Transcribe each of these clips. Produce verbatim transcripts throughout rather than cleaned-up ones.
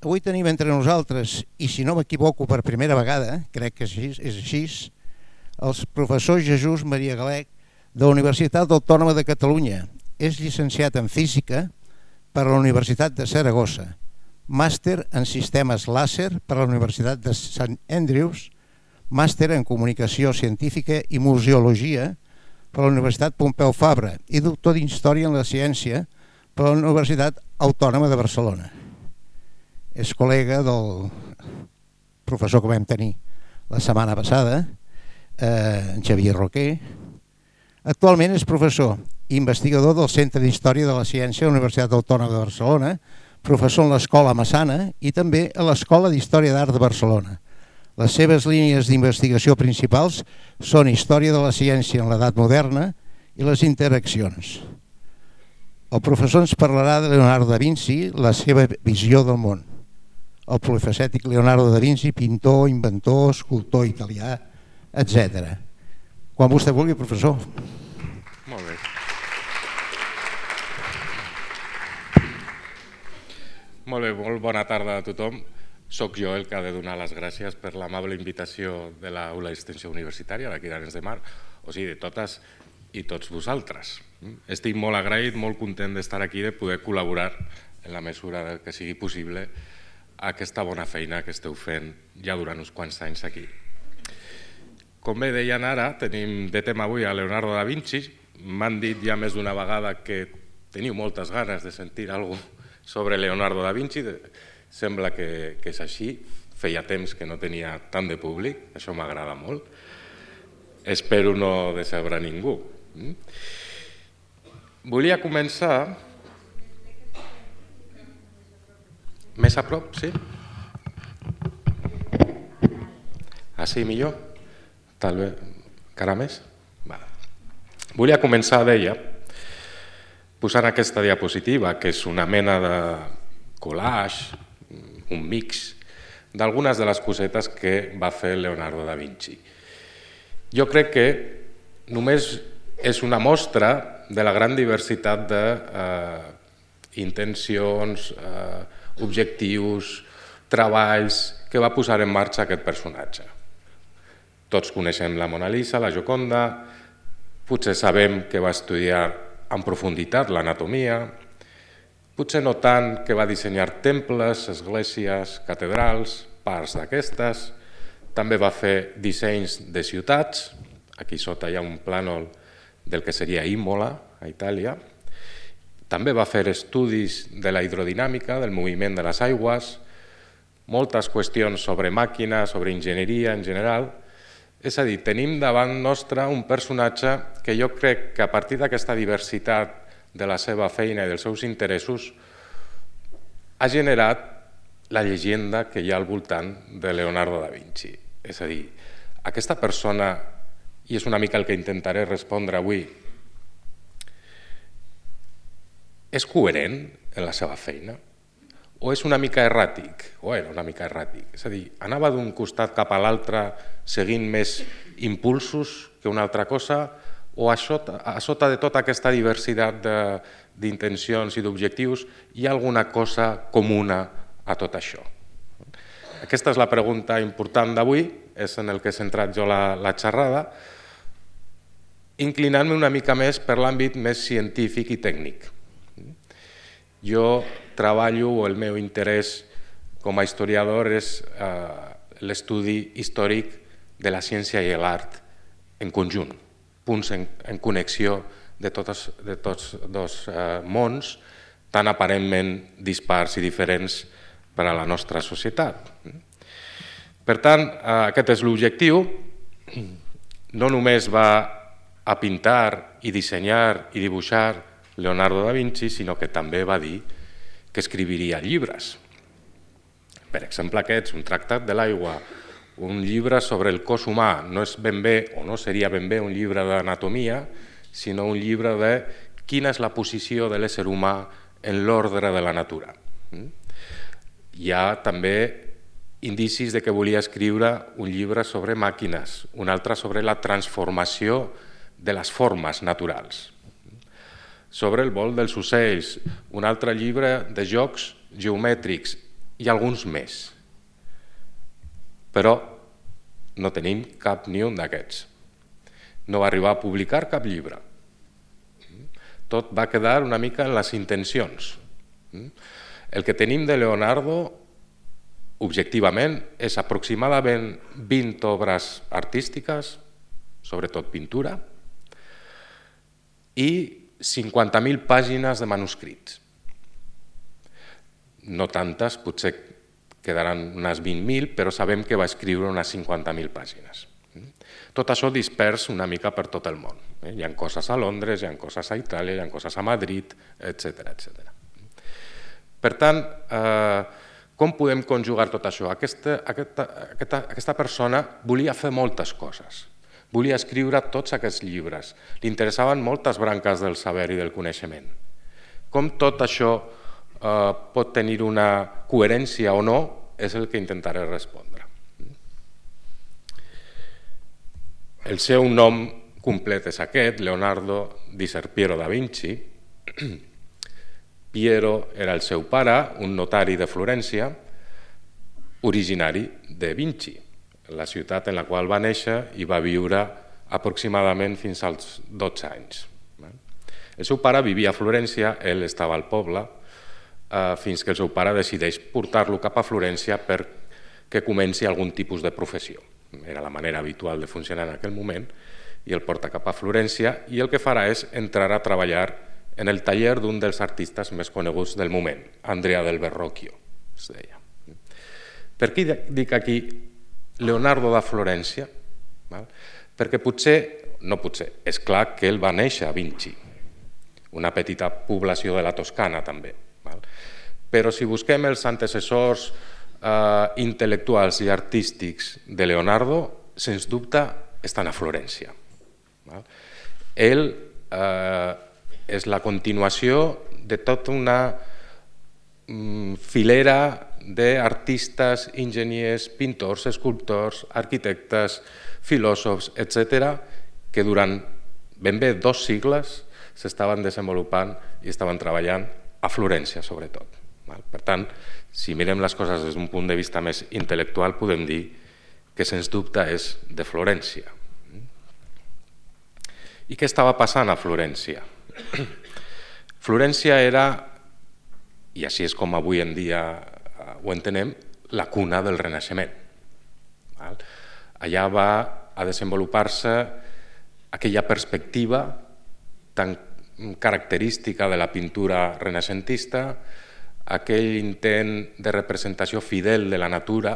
avui tenim entre nosaltres, i si no m'equivoco per primera vegada, crec que és així, el professor Jesús Maria Galec de la Universitat Autònoma de Catalunya. És llicenciat en Física per la Universitat de Saragossa, màster en Sistemes Làser per la Universitat de Sant Andrews, màster en Comunicació Científica i Museologia per la Universitat Pompeu Fabra i doctor d'Història en la Ciència per la Universitat Autònoma de Barcelona. És col·lega del professor que vam tenir la setmana passada, eh, en Xavier Roquer. Actualment és professor i investigador del Centre d'Història de la Ciència de la Universitat Autònoma de Barcelona, professor en l'Escola Massana i també a l'Escola d'Història d'Art de Barcelona. Les seves línies d'investigació principals són Història de la Ciència en l'Edat Moderna i les interaccions. El professor ens parlarà de Leonardo da Vinci, la seva visió del món. El polifacètic Leonardo da Vinci, pintor, inventor, escultor italià, etcètera. Quan vostè vulgui, professor. Molt bé. Molt bé, molt bona tarda a tothom. Soc jo el que ha de donar les gràcies per l'amable invitació de l'Aula d'Extensió Universitària d'aquí d'Arenys de Mar, o sigui, de totes i tots vosaltres. Estic molt agraït, molt content d'estar aquí, de poder col·laborar en la mesura que sigui possible a aquesta bona feina que esteu fent ja durant uns quants anys aquí. Com bé deien ara, tenim de tema avui a Leonardo da Vinci. M'han dit ja més d'una vegada que teniu moltes ganes de sentir alguna cosa sobre Leonardo da Vinci. Sembla que és així. Feia temps que no tenia tant de públic, això m'agrada molt. Espero no decebre ningú. Volia començar... Més a prop, sí? Així millor? Tal bé, encara més? Volia començar, deia, posant aquesta diapositiva, que és una mena de collage, un mix, d'algunes de les cosetes que va fer Leonardo da Vinci. Jo crec que només és una mostra de la gran diversitat d'intencions, objectius, treballs que va posar en marxa aquest personatge. Tots coneixem la Mona Lisa, la Gioconda, potser sabem que va estudiar en profunditat l'anatomia, potser no tant que va dissenyar temples, esglésies, catedrals, parts d'aquestes, també va fer dissenys de ciutats, aquí sota hi ha un plànol del que seria Imola, a Itàlia, també va fer estudis de la hidrodinàmica, del moviment de les aigües, moltes qüestions sobre màquina, sobre enginyeria en general. És a dir, tenim davant nostre un personatge que jo crec que a partir d'aquesta diversitat de la seva feina i dels seus interessos ha generat la llegenda que hi ha al voltant de Leonardo da Vinci. És a dir, aquesta persona, i és una mica el que intentaré respondre avui, és coherent en la seva feina? O és una mica erràtic? O era una mica erràtic? És a dir, anava d'un costat cap a l'altre seguint més impulsos que una altra cosa? O a sota, a sota de tota aquesta diversitat d'intencions i d'objectius hi ha alguna cosa comuna a tot això? Aquesta és la pregunta important d'avui, és en el que he centrat jo la, la xerrada, inclinant-me una mica més per l'àmbit més científic i tècnic. Jo treballo, o el meu interès com a historiador és l'estudi històric de la ciència i l'art en conjunt, punts en connexió de tots dos mons tan aparentment dispars i diferents per a la nostra societat. Per tant, aquest és l'objectiu. No només va a pintar i dissenyar i dibuixar Leonardo da Vinci, sinó que també va dir que escriviria llibres. Per exemple, aquests, un tractat de l'aigua, un llibre sobre el cos humà, no és ben bé, o no seria ben bé un llibre d'anatomia, sinó un llibre de quina és la posició de l'ésser humà en l'ordre de la natura. Hi ha també indicis de que volia escriure un llibre sobre màquines, un altre sobre la transformació de les formes naturals, sobre el vol dels ocells, un altre llibre de jocs geomètrics i alguns més. Però no tenim cap ni un d'aquests. No va arribar a publicar cap llibre. Tot va quedar una mica en les intencions. El que tenim de Leonardo, objectivament, és aproximadament vint obres artístiques, sobretot pintura, i cinquanta mil pàgines de manuscrits. No tantes, potser quedaran unes vint mil, però sabem que va escriure unes cinquanta mil pàgines. Tot això dispers una mica per tot el món. Hi ha coses a Londres, hi ha coses a Itàlia, hi ha coses a Madrid, etcètera, etcètera. Per tant, com podem conjugar tot això? Aquesta, aquesta, aquesta, aquesta persona volia fer moltes coses. Volia escriure tots aquests llibres. Li interessaven moltes branques del saber i del coneixement. Com tot això eh, pot tenir una coherència o no, és el que intentaré respondre. El seu nom complet és aquest, Leonardo di Ser Piero da Vinci. Piero era el seu pare, un notari de Florència, originari de Vinci, la ciutat en la qual va néixer i va viure aproximadament fins als dotze anys. El seu pare vivia a Florència, ell estava al poble, fins que el seu pare decideix portar-lo cap a Florència perquè comenci algun tipus de professió. Era la manera habitual de funcionar en aquell moment, i el porta cap a Florència i el que farà és entrar a treballar en el taller d'un dels artistes més coneguts del moment, Andrea del Verrocchio, es deia. Per què dic aquí Leonardo da Florència? Perquè potser, no potser, és clar que ell va néixer a Vinci, una petita població de la Toscana també. Però si busquem els antecessors intel·lectuals i artístics de Leonardo, sens dubte estan a Florència. Ell és la continuació de tota una filera d'artistes, enginyers, pintors, escultors, arquitectes, filòsofs, etcètera, que durant ben bé dos segles s'estaven desenvolupant i estaven treballant a Florència, sobretot. Per tant, si mirem les coses des d'un punt de vista més intel·lectual, podem dir que sens dubte és de Florència. I què estava passant a Florència? Florència era, i així és com avui en dia ho entenem, la cuna del Renaixement. Allà va a desenvolupar-se aquella perspectiva tan característica de la pintura renaixentista, aquell intent de representació fidel de la natura,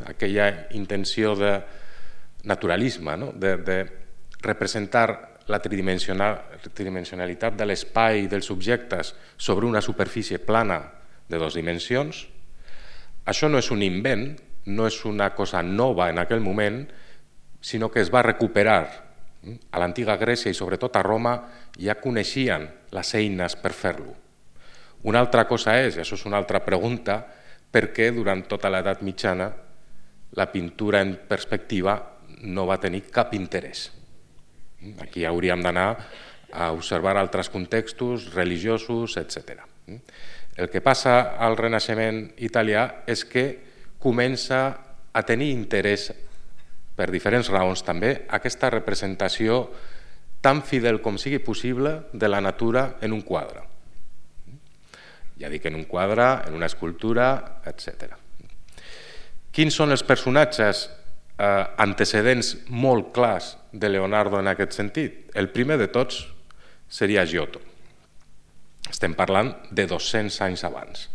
aquella intenció de naturalisme, de representar la tridimensionalitat de l'espai i dels objectes sobre una superfície plana de dues dimensions. Això no és un invent, no és una cosa nova en aquell moment, sinó que es va recuperar. A l'antiga Grècia i sobretot a Roma ja coneixien les eines per fer-lo. Una altra cosa és, i això és una altra pregunta, per què durant tota l'edat mitjana la pintura en perspectiva no va tenir cap interès. Aquí hauríem d'anar a observar altres contextos religiosos, etcètera. El que passa al Renaixement italià és que comença a tenir interès, per diferents raons també, aquesta representació tan fidel com sigui possible de la natura en un quadre. Ja dic, en un quadre, en una escultura, etcètera. Quins són els personatges antecedents molt clars de Leonardo en aquest sentit? El primer de tots seria Giotto. Estem parlant de dos-cents anys abans.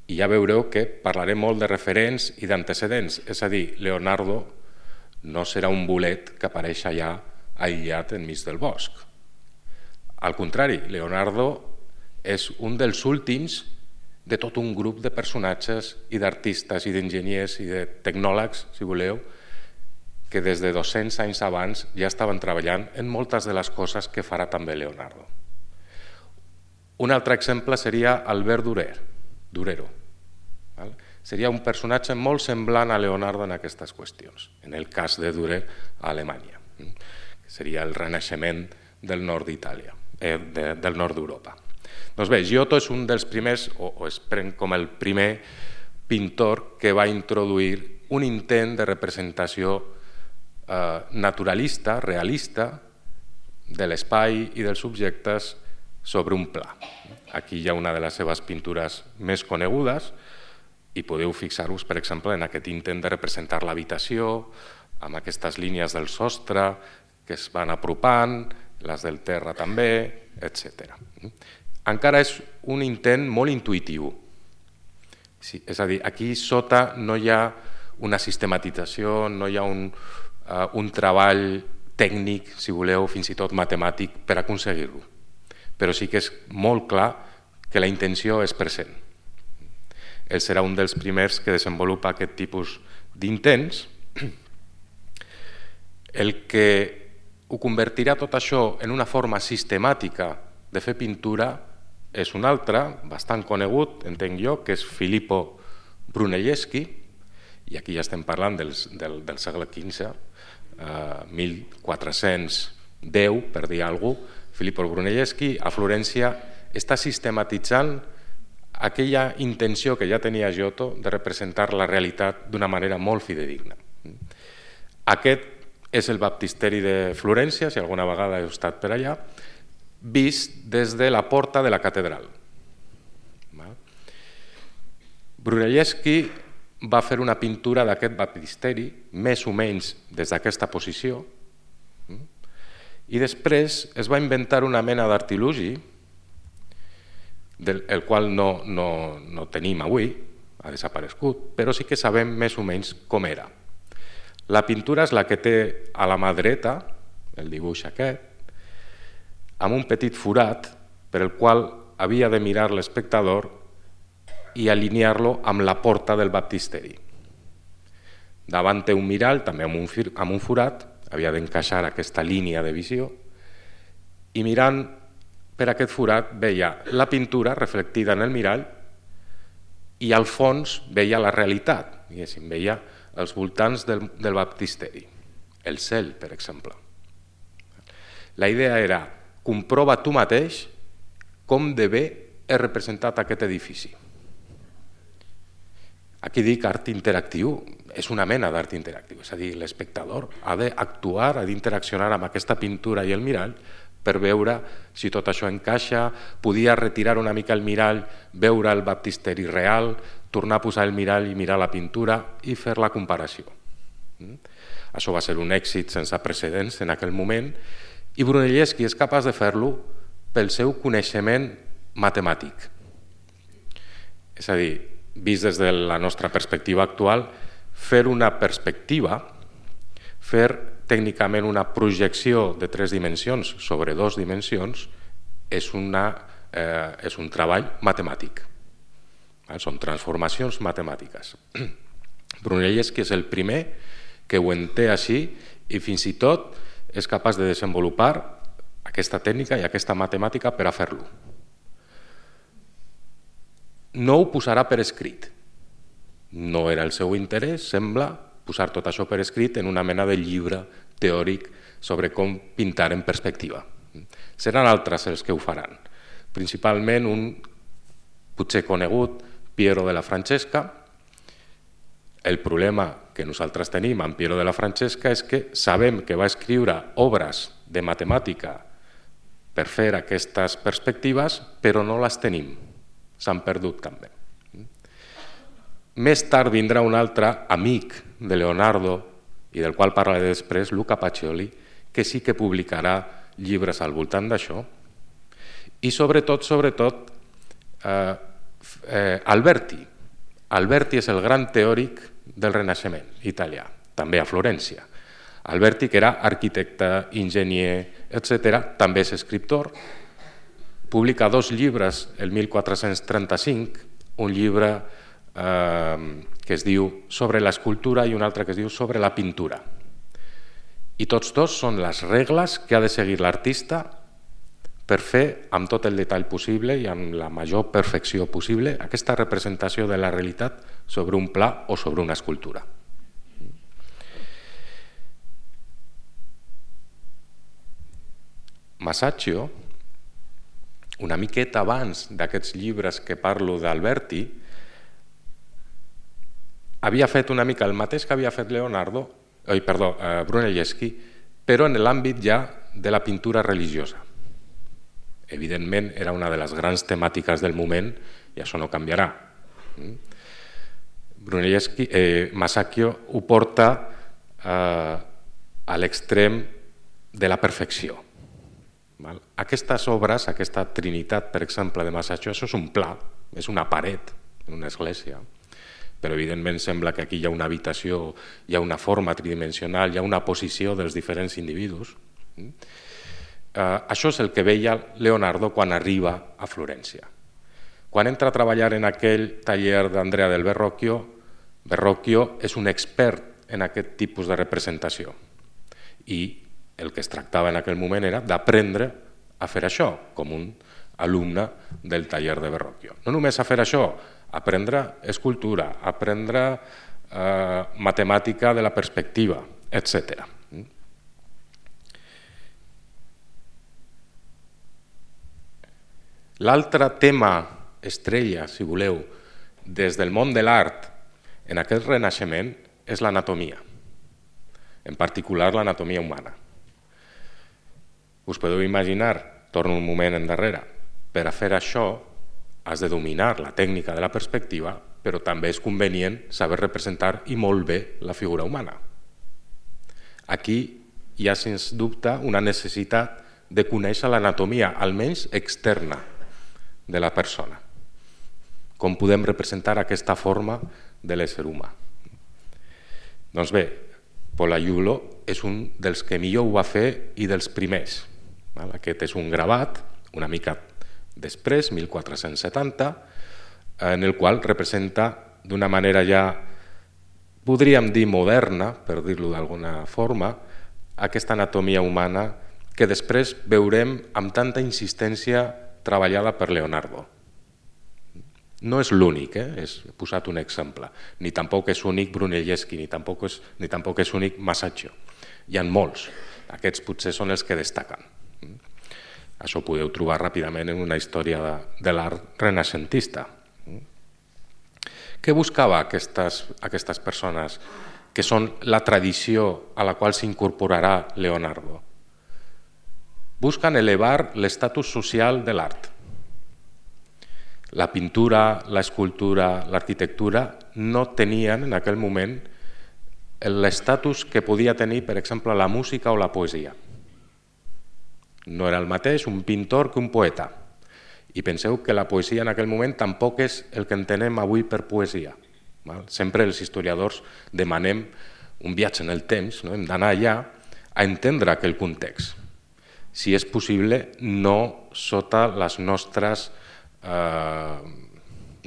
I ja veureu que parlaré molt de referents i d'antecedents, és a dir, Leonardo no serà un bolet que apareix allà aïllat enmig del bosc. Al contrari, Leonardo és un dels últims de tot un grup de personatges i d'artistes i d'enginyers i de tecnòlegs, si voleu, que des de dos-cents anys abans ja estaven treballant en moltes de les coses que farà també Leonardo. Un altre exemple seria Albert Dürer, Durero. Seria un personatge molt semblant a Leonardo en aquestes qüestions, en el cas de Dürer a Alemanya, que seria el renaixement del nord d'Itàlia, del nord d'Europa. Doncs bé, Giotto és un dels primers, o, o es pren com el primer pintor que va introduir un intent de representació eh, naturalista, realista, de l'espai i dels subjectes sobre un pla. Aquí hi ha una de les seves pintures més conegudes i podeu fixar-vos, per exemple, en aquest intent de representar l'habitació, amb aquestes línies del sostre que es van apropant, les del terra també, etcètera. Encara és un intent molt intuïtiu. Sí, és a dir, aquí sota no hi ha una sistematització, no hi ha un, uh, un treball tècnic, si voleu, fins i tot matemàtic, per aconseguir-ho. Però sí que és molt clar que la intenció és present. Ell serà un dels primers que desenvolupa aquest tipus d'intents. El que ho convertirà tot això en una forma sistemàtica de fer pintura és un altre, bastant conegut, entenc jo, que és Filippo Brunelleschi, i aquí ja estem parlant del, del, del segle quinze, eh, mil quatre-cents deu, per dir alguna cosa. Filippo Brunelleschi a Florència està sistematitzant aquella intenció que ja tenia Giotto de representar la realitat d'una manera molt fidedigna. Aquest és el baptisteri de Florència, si alguna vegada heu estat per allà, vist des de la porta de la catedral. Brunelleschi va fer una pintura d'aquest baptisteri, més o menys des d'aquesta posició, i després es va inventar una mena d'artilugi, el qual no, no, no tenim avui, ha desaparegut, però sí que sabem més o menys com era. La pintura és la que té a la mà dreta, el dibuix aquest, amb un petit forat per el qual havia de mirar l'espectador i alinear-lo amb la porta del baptisteri. Davant té un mirall, també amb un, amb un forat, havia d'encaixar aquesta línia de visió, i mirant per aquest forat veia la pintura reflectida en el mirall i al fons veia la realitat, diguéssim, veia els voltants del, del baptisteri, el cel, per exemple. La idea era, comprova tu mateix com de bé és representat aquest edifici. Aquí dic art interactiu, és una mena d'art interactiu, és a dir, l'espectador ha d'actuar, ha d'interaccionar amb aquesta pintura i el mirall per veure si tot això encaixa, podia retirar una mica el mirall, veure el baptisteri real, tornar a posar el mirall i mirar la pintura i fer la comparació. Això va ser un èxit sense precedents en aquell moment i Brunelleschi és capaç de fer-lo pel seu coneixement matemàtic. És a dir, vist des de la nostra perspectiva actual, fer una perspectiva, fer tècnicament una projecció de tres dimensions sobre dues dimensions és, una, eh, és un treball matemàtic. Són transformacions matemàtiques. Brunelleschi és el primer que ho entén així i fins i tot és capaç de desenvolupar aquesta tècnica i aquesta matemàtica per a fer-lo. No ho posarà per escrit. No era el seu interès, sembla, posar tot això per escrit en una mena de llibre teòric sobre com pintar en perspectiva. Seran altres els que ho faran. Principalment un potser conegut, Piero della Francesca. El problema que nosaltres tenim amb Piero della Francesca és que sabem que va escriure obres de matemàtica per fer aquestes perspectives, però no les tenim. S'han perdut també. Més tard vindrà un altre amic de Leonardo i del qual parlaré després, Luca Pacioli, que sí que publicarà llibres al voltant d'això i sobretot, sobretot, eh, eh, Alberti. Alberti és el gran teòric del Renaixement italià, també a Florència. Alberti, que era arquitecte, enginyer, etcètera, també és escriptor, publica dos llibres el mil quatre-cents trenta-cinc, un llibre eh, que es diu Sobre l'escultura i un altre que es diu Sobre la pintura. I tots dos són les regles que ha de seguir l'artista per fer amb tot el detall possible i amb la major perfecció possible aquesta representació de la realitat sobre un pla o sobre una escultura. Masaccio una miqueta abans d'aquests llibres que parlo d'Alberti, havia fet una mica el mateix que havia fet Leonardo, oi, perdó, eh, Brunelleschi, però en l'àmbit ja de la pintura religiosa. Evidentment, era una de les grans temàtiques del moment i això no canviarà. Brunelleschi, eh, Masaccio ho porta eh, a l'extrem de la perfecció. Val? Aquestes obres, aquesta trinitat, per exemple, de Masaccio, això és un pla, és una paret en una església, però evidentment sembla que aquí hi ha una habitació, hi ha una forma tridimensional, hi ha una posició dels diferents individus. Uh, això és el que veia Leonardo quan arriba a Florència. Quan entra a treballar en aquell taller d'Andrea del Verrocchio, Verrocchio és un expert en aquest tipus de representació i el que es tractava en aquell moment era d'aprendre a fer això com un alumne del taller de Verrocchio. No només a fer això, aprendre escultura, aprendre eh, matemàtica de la perspectiva, etcètera. L'altre tema estrella, si voleu, des del món de l'art en aquest renaixement és l'anatomia, en particular l'anatomia humana. Us podeu imaginar, torno un moment endarrere, per a fer això has de dominar la tècnica de la perspectiva, però també és convenient saber representar i molt bé la figura humana. Aquí hi ha, sens dubte, una necessitat de conèixer l'anatomia, almenys externa, de la persona. Com podem representar aquesta forma de l'ésser humà? Doncs bé, Pollaiuolo és un dels que millor ho va fer i dels primers. Aquest és un gravat, una mica després, mil quatre-cents setanta, en el qual representa d'una manera ja, podríem dir moderna, per dir-ho d'alguna forma, aquesta anatomia humana que després veurem amb tanta insistència treballada per Leonardo. No és l'únic, eh? He posat un exemple. Ni tampoc és únic Brunelleschi, ni tampoc és, ni tampoc és únic Masaccio. Hi ha molts. Aquests potser són els que destaquen. Això ho podeu trobar ràpidament en una història de, de l'art renaixentista. Què buscava aquestes, aquestes persones que són la tradició a la qual s'incorporarà Leonardo? Buscan elevar l'estatus social de l'art. La pintura, l'escultura, l'arquitectura no tenien en aquell moment l'estatus que podia tenir, per exemple, la música o la poesia. No era el mateix un pintor que un poeta. I penseu que la poesia en aquell moment tampoc és el que entenem avui per poesia. Sempre els historiadors demanem un viatge en el temps, no? Hem d'anar allà a entendre aquell context. Si és possible, no sota les nostres eh,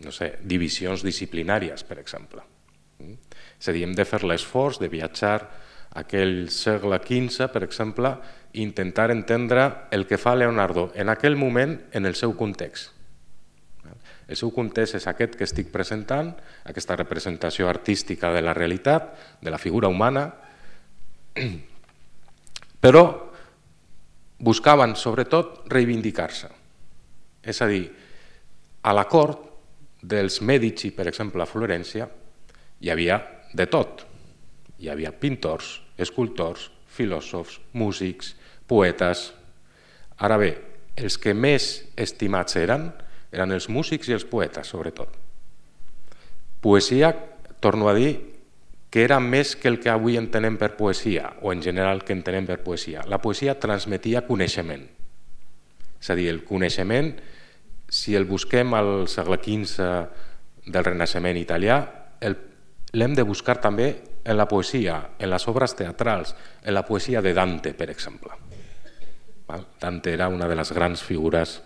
no sé, divisions disciplinàries, per exemple. És a dir, hem de fer l'esforç de viatjar a aquell segle quinze, per exemple, i intentar entendre el que fa Leonardo en aquell moment en el seu context. El seu context és aquest que estic presentant, aquesta representació artística de la realitat, de la figura humana, però buscaven, sobretot, reivindicar-se. És a dir, a la cort dels Mèdici, per exemple, a Florència, hi havia de tot. Hi havia pintors, escultors, filòsofs, músics, poetes. Ara bé, els que més estimats eren, eren els músics i els poetes, sobretot. Poesia, torno a dir, que era més que el que avui entenem per poesia, o en general que entenem per poesia. La poesia transmetia coneixement. És a dir, el coneixement, si el busquem al segle quinze del Renaixement italià, l'hem de buscar també en la poesia, en les obres teatrals, en la poesia de Dante, per exemple. Dante era una de les grans figures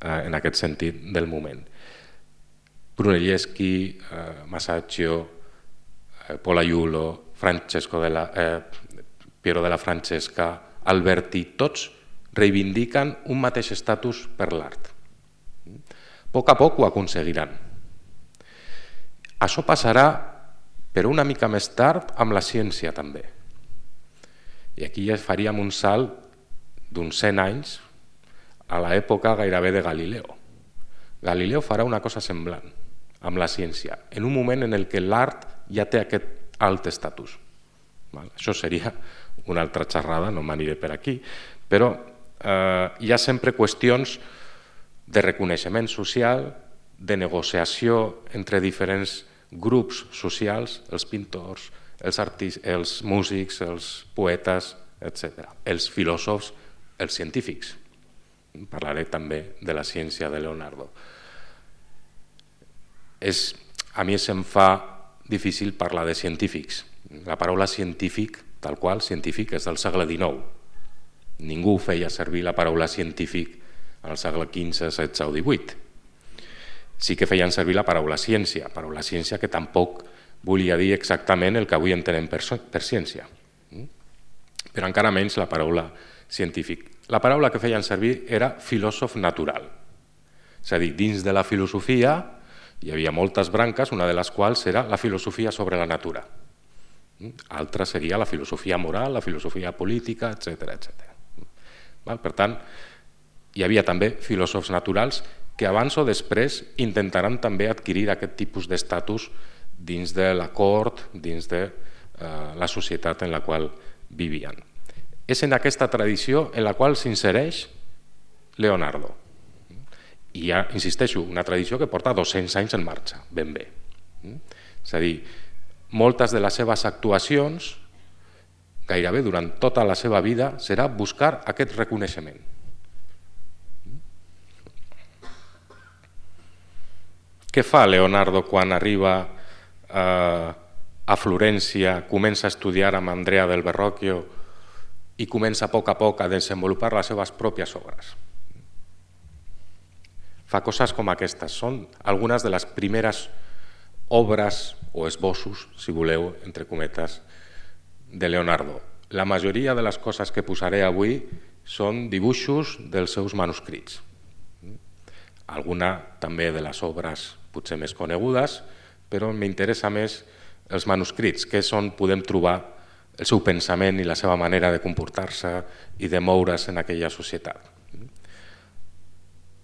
en aquest sentit del moment. Brunelleschi, Masaccio, Pollaiuolo, Francesco de la, eh, Piero della Francesca, Alberti, tots reivindiquen un mateix estatus per l'art. A poc a poc ho aconseguiran. Això passarà, però una mica més tard, amb la ciència també. I aquí ja faríem un salt d'uns cent anys a l'època gairebé de Galileo. Galileo farà una cosa semblant amb la ciència, en un moment en el que l'art ja té aquest alt estatus. Això seria una altra xerrada, no m'aniré per aquí, però eh, hi ha sempre qüestions de reconeixement social, de negociació entre diferents grups socials, els pintors, els, artistes, els músics, els poetes, etcètera. Els filòsofs, els científics. Parlaré també de la ciència de Leonardo. És, a mi se'm fa difícil parlar de científics. La paraula científic, tal qual, científic, és del segle dinou. Ningú feia servir la paraula científic en el segle quinze, setze o divuit. Sí que feien servir la paraula ciència, paraula ciència que tampoc volia dir exactament el que avui entenem per, per ciència. Però encara menys la paraula científic. La paraula que feien servir era filòsof natural. És a dir, dins de la filosofia hi havia moltes branques, una de les quals era la filosofia sobre la natura. Altra seria la filosofia moral, la filosofia política, etcètera, etcètera. Per tant, hi havia també filòsofs naturals que abans o després intentaran també adquirir aquest tipus d'estatus dins de la cort, dins de eh, la societat en la qual vivien. És en aquesta tradició en la qual s'insereix Leonardo. I hi ha, insisteixo, una tradició que porta dos-cents anys en marxa, ben bé. És a dir, moltes de les seves actuacions, gairebé durant tota la seva vida, serà buscar aquest reconeixement. Què fa Leonardo quan arriba eh, a Florència, comença a estudiar amb Andrea del Verrocchio i comença a poc a poc a desenvolupar les seves pròpies obres? Fa coses com aquestes. Són algunes de les primeres obres o esbossos, si voleu, entre cometes, de Leonardo. La majoria de les coses que posaré avui són dibuixos dels seus manuscrits. Alguna també de les obres potser més conegudes, però m'interessa més els manuscrits, que és on podem trobar el seu pensament i la seva manera de comportar-se i de moure's en aquella societat.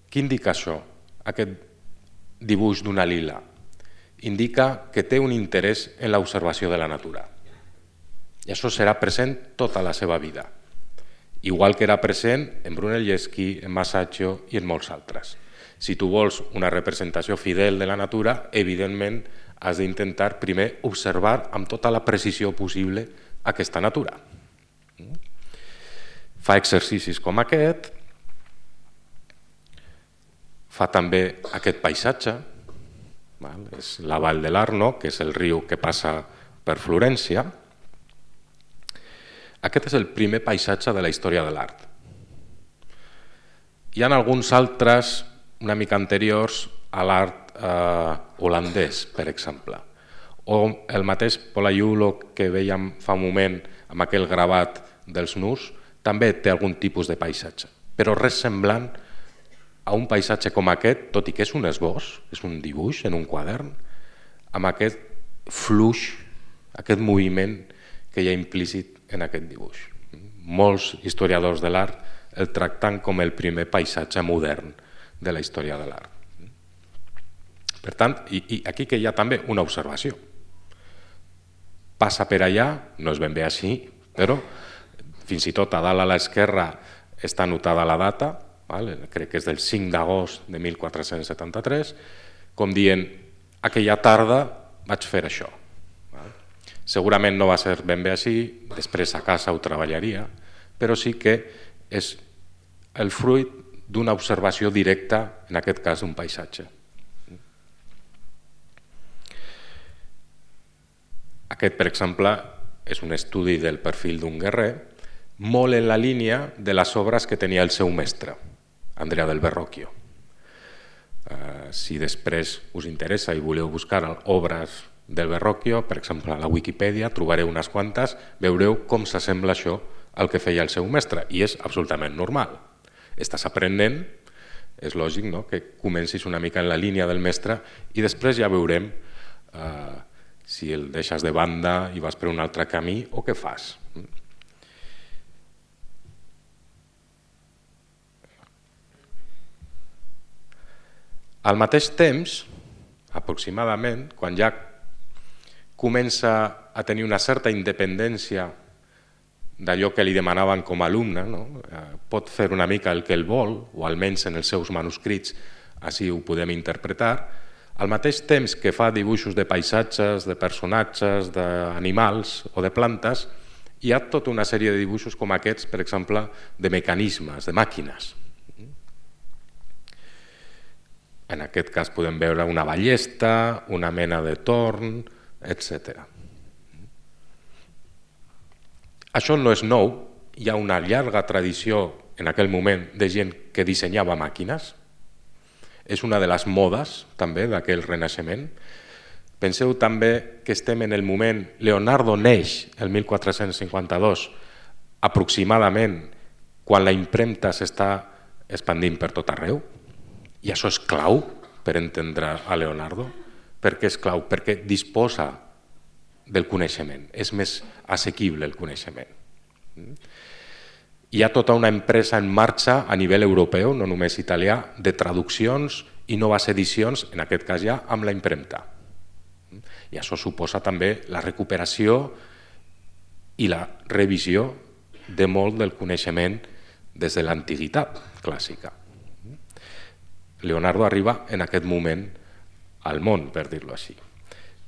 Què indica això, aquest dibuix d'una lila? Indica que té un interès en l'observació de la natura. I això serà present tota la seva vida, igual que era present en Brunelleschi, en Masaccio i en molts altres. Si tu vols una representació fidel de la natura, evidentment has d'intentar primer observar amb tota la precisió possible aquesta natura. Fa exercicis com aquest, fa també aquest paisatge, és la Vall de l'Arno, que és el riu que passa per Florència. Aquest és el primer paisatge de la història de l'art. Hi ha alguns altres una mica anteriors a l'art eh, holandès, per exemple, o el mateix Polaiulo que veiem fa un moment amb aquell gravat dels nus, també té algun tipus de paisatge, però res semblant a un paisatge com aquest, tot i que és un esbós, és un dibuix en un quadern, amb aquest fluix, aquest moviment que hi ha implícit en aquest dibuix. Molts historiadors de l'art el tracten com el primer paisatge modern de la història de l'art. Per tant, i, i aquí que hi ha també una observació. Passa per allà, no és ben bé així, però fins i tot a dalt a l'esquerra està anotada la data, vale? Crec que és del cinc d'agost de mil quatre-cents setanta-tres, com dient, aquella tarda vaig fer això. Vale? Segurament no va ser ben bé així, després a casa ho treballaria, però sí que és el fruit d'una observació directa, en aquest cas d'un paisatge. Aquest, per exemple, és un estudi del perfil d'un guerrer, molt en la línia de les obres que tenia el seu mestre, Andrea del Verrocchio. Uh, si després us interessa i voleu buscar obres del Verrocchio, per exemple, a la Wikipedia, trobareu unes quantes, veureu com s'assembla això al que feia el seu mestre, i és absolutament normal. Estàs aprenent, és lògic, no?, que comencis una mica en la línia del mestre i després ja veurem eh, si el deixes de banda i vas per un altre camí o què fas. Al mateix temps, aproximadament, quan ja comença a tenir una certa independència d'allò que li demanaven com a alumne, no? Pot fer una mica el que el vol, o almenys en els seus manuscrits així ho podem interpretar, al mateix temps que fa dibuixos de paisatges, de personatges, d'animals o de plantes, hi ha tota una sèrie de dibuixos com aquests, per exemple, de mecanismes, de màquines. En aquest cas podem veure una ballesta, una mena de torn, etcètera. Això no és nou, hi ha una llarga tradició en aquell moment de gent que dissenyava màquines. És una de les modes també d'aquell renaixement. Penseu també que estem en el moment, Leonardo neix el mil quatre-cents cinquanta-dos, aproximadament quan la impremta s'està expandint per tot arreu, i això és clau per entendre a Leonardo. Per què és clau? Perquè disposa del coneixement, és més assequible el coneixement. Hi ha tota una empresa en marxa a nivell europeu, no només italià, de traduccions i noves edicions, en aquest cas ja amb la impremta. I això suposa també la recuperació i la revisió de molt del coneixement des de l'antiguitat clàssica. Leonardo arriba en aquest moment al món, per dir-ho així.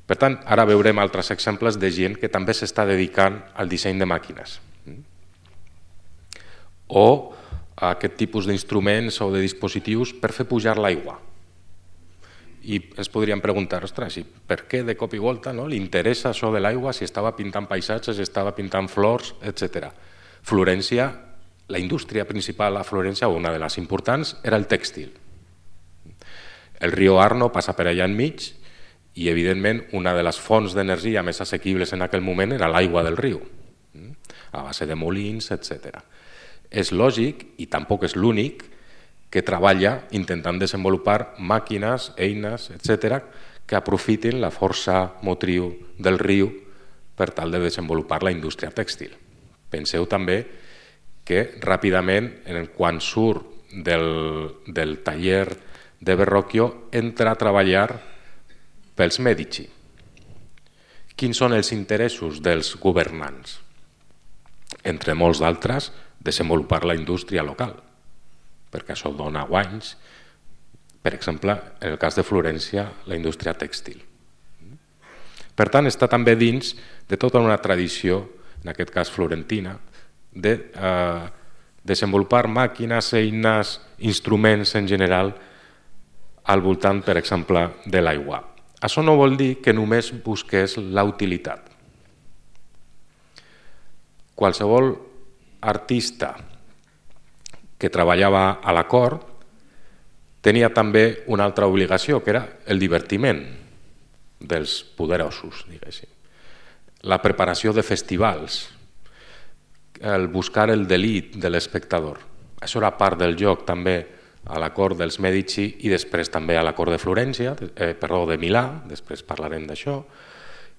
Per tant, ara veurem altres exemples de gent que també s'està dedicant al disseny de màquines. O a aquest tipus d'instruments o de dispositius per fer pujar l'aigua. I ens podríem preguntar, ostres, per què de cop i volta li interessa això de l'aigua si estava pintant paisatges, si estava pintant flors, etcètera. Florència, la indústria principal a Florència, o una de les importants, era el tèxtil. El riu Arno passa per allà enmig i, evidentment, una de les fonts d'energia més assequibles en aquell moment era l'aigua del riu, a base de molins, etcètera. És lògic, i tampoc és l'únic, que treballa intentant desenvolupar màquines, eines, etcètera, que aprofitin la força motriu del riu per tal de desenvolupar la indústria tèxtil. Penseu també que ràpidament, quan surt del, del taller de Verrocchio, entra a treballar pels Medici. Quins són els interessos dels governants? Entre molts d'altres, desenvolupar la indústria local, perquè això dona guanys. Per exemple, en el cas de Florència, la indústria tèxtil. Per tant, està també dins de tota una tradició, en aquest cas florentina, de eh, desenvolupar màquines, eines, instruments en general, al voltant, per exemple, de l'aigua. Això no vol dir que només busqués la utilitat. Qualsevol artista que treballava a la cort tenia també una altra obligació, que era el divertiment dels poderosos, diguéssim. La preparació de festivals, el buscar el delit de l'espectador. Això era part del joc també a la cort dels Medici i després també a la cort de Florència, eh, perdó, de Milà, després parlarem d'això.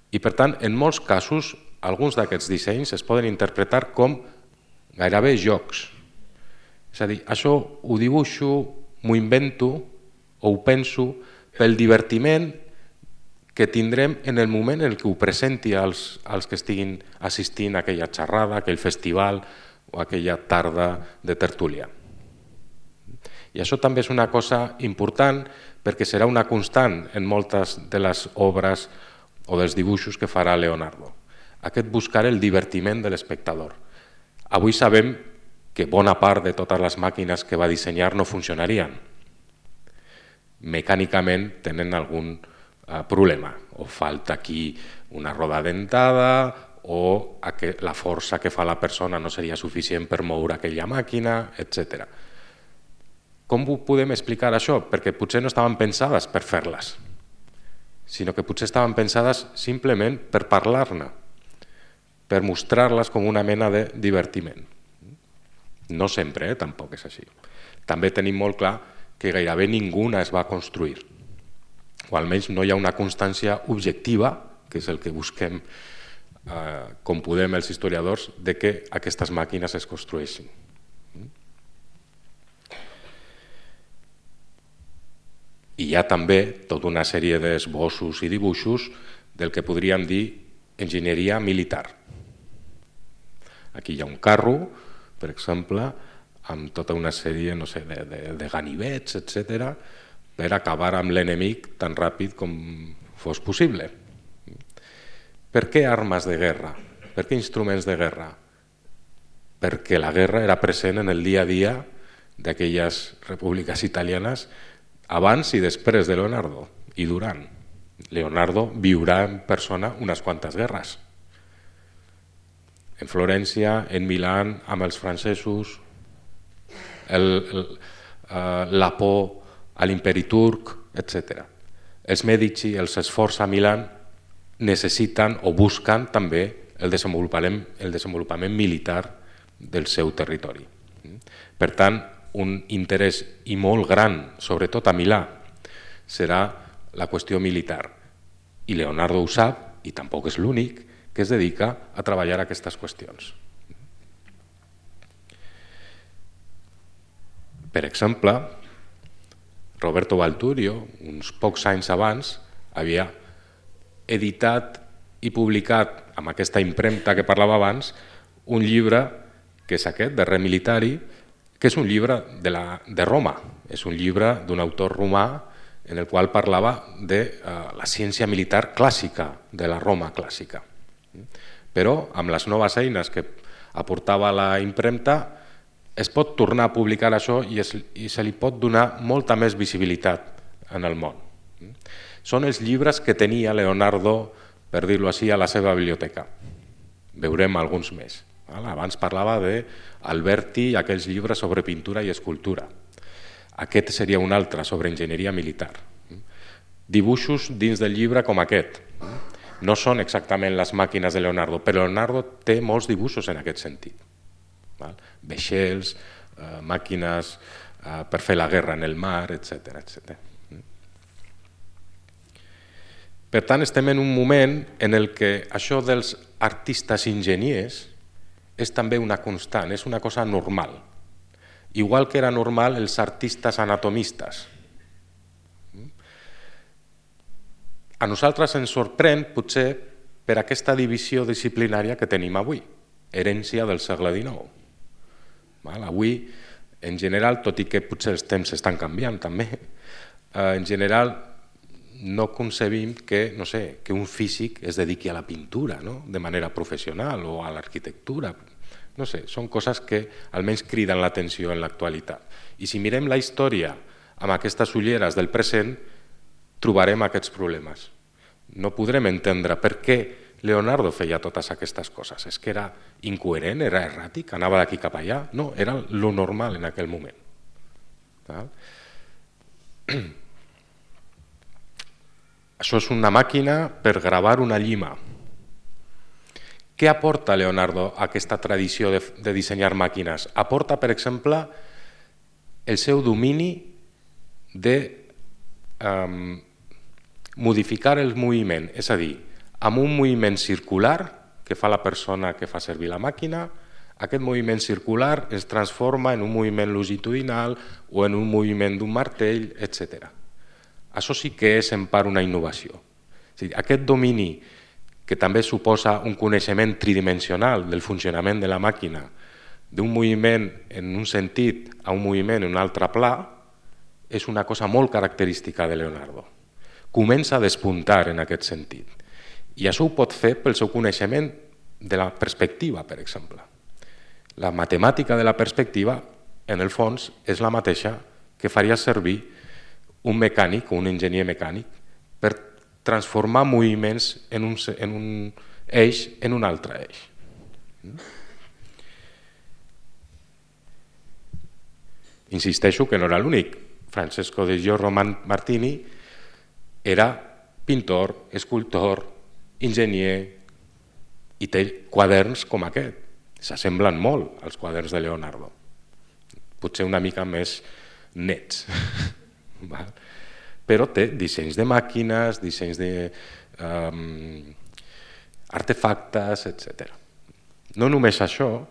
I per tant, en molts casos, alguns d'aquests dissenys es poden interpretar com gairebé jocs. És a dir, això ho dibuixo, m'ho invento o ho penso pel divertiment que tindrem en el moment en què ho presenti als, als que estiguin assistint a aquella xerrada, aquell festival o aquella tarda de tertúlia. I això també és una cosa important perquè serà una constant en moltes de les obres o dels dibuixos que farà Leonardo. Aquest buscar el divertiment de l'espectador. Avui sabem que bona part de totes les màquines que va dissenyar no funcionarien. Mecànicament tenen algun eh, problema. O falta aquí una roda dentada o la força que fa la persona no seria suficient per moure aquella màquina, etcètera. Com ho podem explicar això? Perquè potser no estaven pensades per fer-les, sinó que potser estaven pensades simplement per parlar-ne, per mostrar-les com una mena de divertiment. No sempre, eh? Tampoc és així. També tenim molt clar que gairebé ninguna es va construir, o almenys no hi ha una constància objectiva, que és el que busquem, eh, com podem els historiadors, de que aquestes màquines es construeixin. I hi ha també tota una sèrie d'esbossos i dibuixos del que podríem dir enginyeria militar. Aquí hi ha un carro, per exemple, amb tota una sèrie no sé, de, de, de ganivets, etcètera, per acabar amb l'enemic tan ràpid com fos possible. Per què armes de guerra? Per què instruments de guerra? Perquè la guerra era present en el dia a dia d'aquelles repúbliques italianes abans i després de Leonardo i durant. Leonardo viurà en persona unes quantes guerres. En Florència, en Milà, amb els francesos, el, el, uh, la por a l'imperi turc, etcètera. Els Medici, els esforços a Milà, necessiten o busquen també el desenvolupament, el desenvolupament militar del seu territori. Per tant, un interès i molt gran, sobretot a Milà, serà la qüestió militar. I Leonardo ho sap, i tampoc és l'únic, que es dedica a treballar aquestes qüestions. Per exemple, Roberto Valturio, uns pocs anys abans, havia editat i publicat amb aquesta impremta que parlava abans un llibre que és aquest, de Re Militari, que és un llibre de, la, de Roma, és un llibre d'un autor romà en el qual parlava de uh, la ciència militar clàssica, de la Roma clàssica. Però amb les noves eines que aportava la impremta es pot tornar a publicar això i, es, i se li pot donar molta més visibilitat en el món. Són els llibres que tenia Leonardo, per dir-ho així, a la seva biblioteca. Veurem alguns més. Abans parlava d'Alberti i aquells llibres sobre pintura i escultura. Aquest seria un altre, sobre enginyeria militar. Dibuixos dins del llibre com aquest. No són exactament les màquines de Leonardo, però Leonardo té molts dibuixos en aquest sentit. Vaixells, eh, màquines eh, per fer la guerra en el mar, etcètera, etcètera. Per tant, estem en un moment en el que això dels artistes enginyers és també una constant, és una cosa normal. Igual que era normal els artistes anatomistes. A nosaltres ens sorprèn, potser, per aquesta divisió disciplinària que tenim avui, herència del segle dinou. Avui, en general, tot i que potser els temps estan canviant també, en general no concebim que, no sé, que un físic es dediqui a la pintura, no? De manera professional o a l'arquitectura. No sé, són coses que almenys criden l'atenció en l'actualitat. I si mirem la història amb aquestes ulleres del present, trobarem aquests problemes. No podrem entendre per què Leonardo feia totes aquestes coses. És que era incoherent, era erràtic, anava d'aquí cap allà. No, era lo normal en aquell moment. Això és una màquina per gravar una llima. Què aporta Leonardo a aquesta tradició de, de dissenyar màquines? Aporta, per exemple, el seu domini de um, modificar el moviment, és a dir, amb un moviment circular que fa la persona que fa servir la màquina, aquest moviment circular es transforma en un moviment longitudinal o en un moviment d'un martell, etcètera. Això sí que és en part una innovació. És a dir, aquest domini que també suposa un coneixement tridimensional del funcionament de la màquina, d'un moviment en un sentit a un moviment en un altre pla, és una cosa molt característica de Leonardo. Comença a despuntar en aquest sentit. I això ho pot fer pel seu coneixement de la perspectiva, per exemple. La matemàtica de la perspectiva, en el fons, és la mateixa que faria servir un mecànic o un enginyer mecànic per transformar moviments en un, en un eix en un altre eix. Insisteixo que no era l'únic. Francesco de Giorgio Martini era pintor, escultor, enginyer i té quaderns com aquest. S'assemblen molt als quaderns de Leonardo. Potser una mica més nets. Però té dissenys de màquines, dissenys d'artefactes, etcètera. No només això,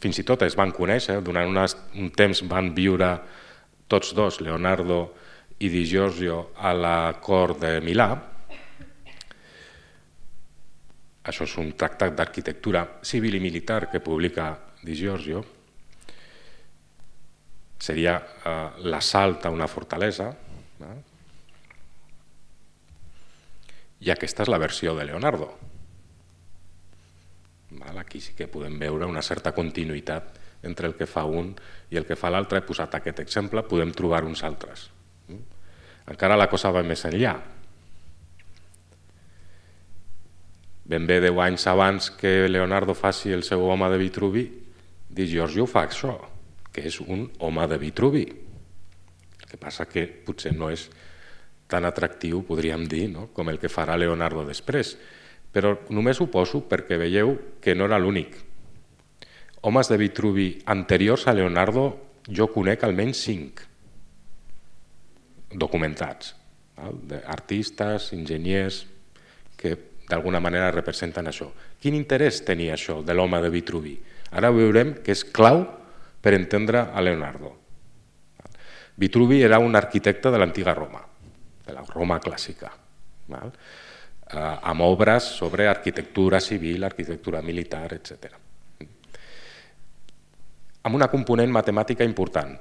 fins i tot es van conèixer, durant un temps van viure tots dos, Leonardo i Di Giorgio a la cort de Milà. Això és un tractat d'arquitectura civil i militar que publica Di Giorgio. Seria eh, l'assalt a una fortalesa. Eh? I aquesta és la versió de Leonardo. Aquí sí que podem veure una certa continuïtat entre el que fa un i el que fa l'altre. He posat aquest exemple, podem trobar uns altres. Encara la cosa va més enllà. Ben bé deu anys abans que Leonardo faci el seu home de Vitruvi, Di Giorgio fa això, que és un home de Vitruvi. El que passa que potser no és tan atractiu, podríem dir, no? Com el que farà Leonardo després. Però només ho poso perquè veieu que no era l'únic. Homes de Vitruvi anteriors a Leonardo jo conec almenys cinc documentats, artistes, enginyers, que d'alguna manera representen això. Quin interès tenia això de l'home de Vitruvi? Ara veurem que és clau per entendre a Leonardo. Vitruvi era un arquitecte de l'antiga Roma, de la Roma clàssica, amb obres sobre arquitectura civil, arquitectura militar, etcètera. Amb una component matemàtica important.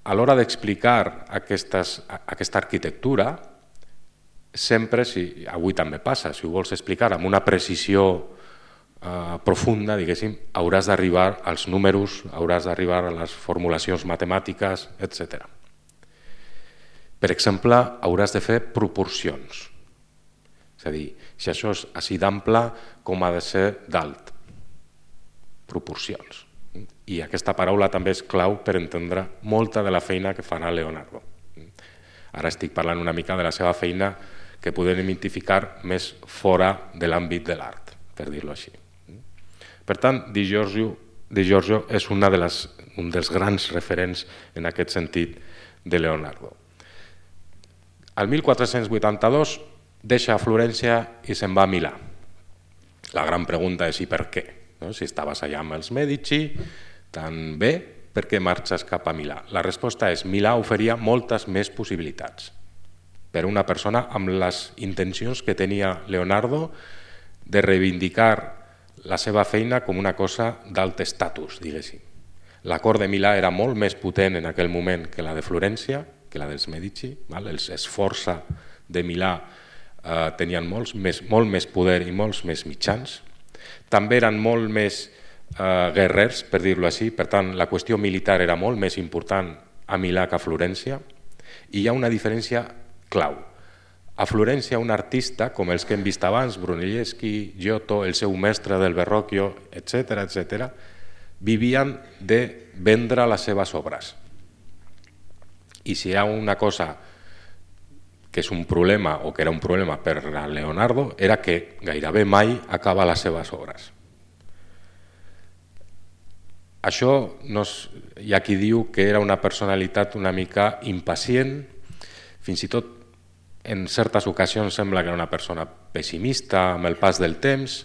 A l'hora d'explicar aquesta arquitectura, sempre, avui també passa, si ho vols explicar amb una precisió profunda, diguéssim, hauràs d'arribar als números, hauràs d'arribar a les formulacions matemàtiques, etcètera. Per exemple, hauràs de fer proporcions. És a dir, si això és així d'ample, com ha de ser d'alt. Proporcions. I aquesta paraula també és clau per entendre molta de la feina que farà Leonardo. Ara estic parlant una mica de la seva feina que podem identificar més fora de l'àmbit de l'art, per dir-ho així. Per tant, Di Giorgio, Di Giorgio és una de les, un dels grans referents en aquest sentit de Leonardo. El mil quatre-cents vuitanta-dos deixa Florència i se'n va a Milà. La gran pregunta és i per què? Si estaves allà amb els Medici, tan bé, per què marxes cap a Milà? La resposta és Milà oferia moltes més possibilitats per a una persona amb les intencions que tenia Leonardo de reivindicar la seva feina com una cosa d'alt estatus, diguéssim. La cort de Milà era molt més potent en aquell moment que la de Florència, que la dels Medici, els Sforza de Milà tenien molt més poder i molts més mitjans. També eren molt més guerrers, per dir-ho així, per tant la qüestió militar era molt més important a Milà que a Florència, i hi ha una diferència clau. A Florència un artista, com els que hem vist abans, Brunelleschi, Giotto, el seu mestre del Verrocchio, etcètera, etcètera, vivien de vendre les seves obres. I si hi ha una cosa que és un problema, o que era un problema per a Leonardo, era que gairebé mai acaba les seves obres. Això hi ha qui diu que era una personalitat una mica impacient, fins i tot en certes ocasions sembla que era una persona pessimista amb el pas del temps,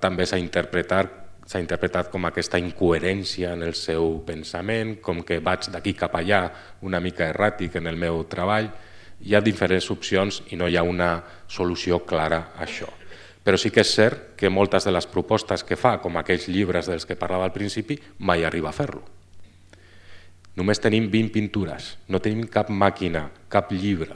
també s'ha interpretat s'ha interpretat com aquesta incoherència en el seu pensament, com que vaig d'aquí cap allà una mica erràtic en el meu treball. Hi ha diferents opcions i no hi ha una solució clara a això. Però sí que és cert que moltes de les propostes que fa, com aquells llibres dels que parlava al principi, mai arriba a fer-lo. Només tenim vint pintures, no tenim cap màquina, cap llibre.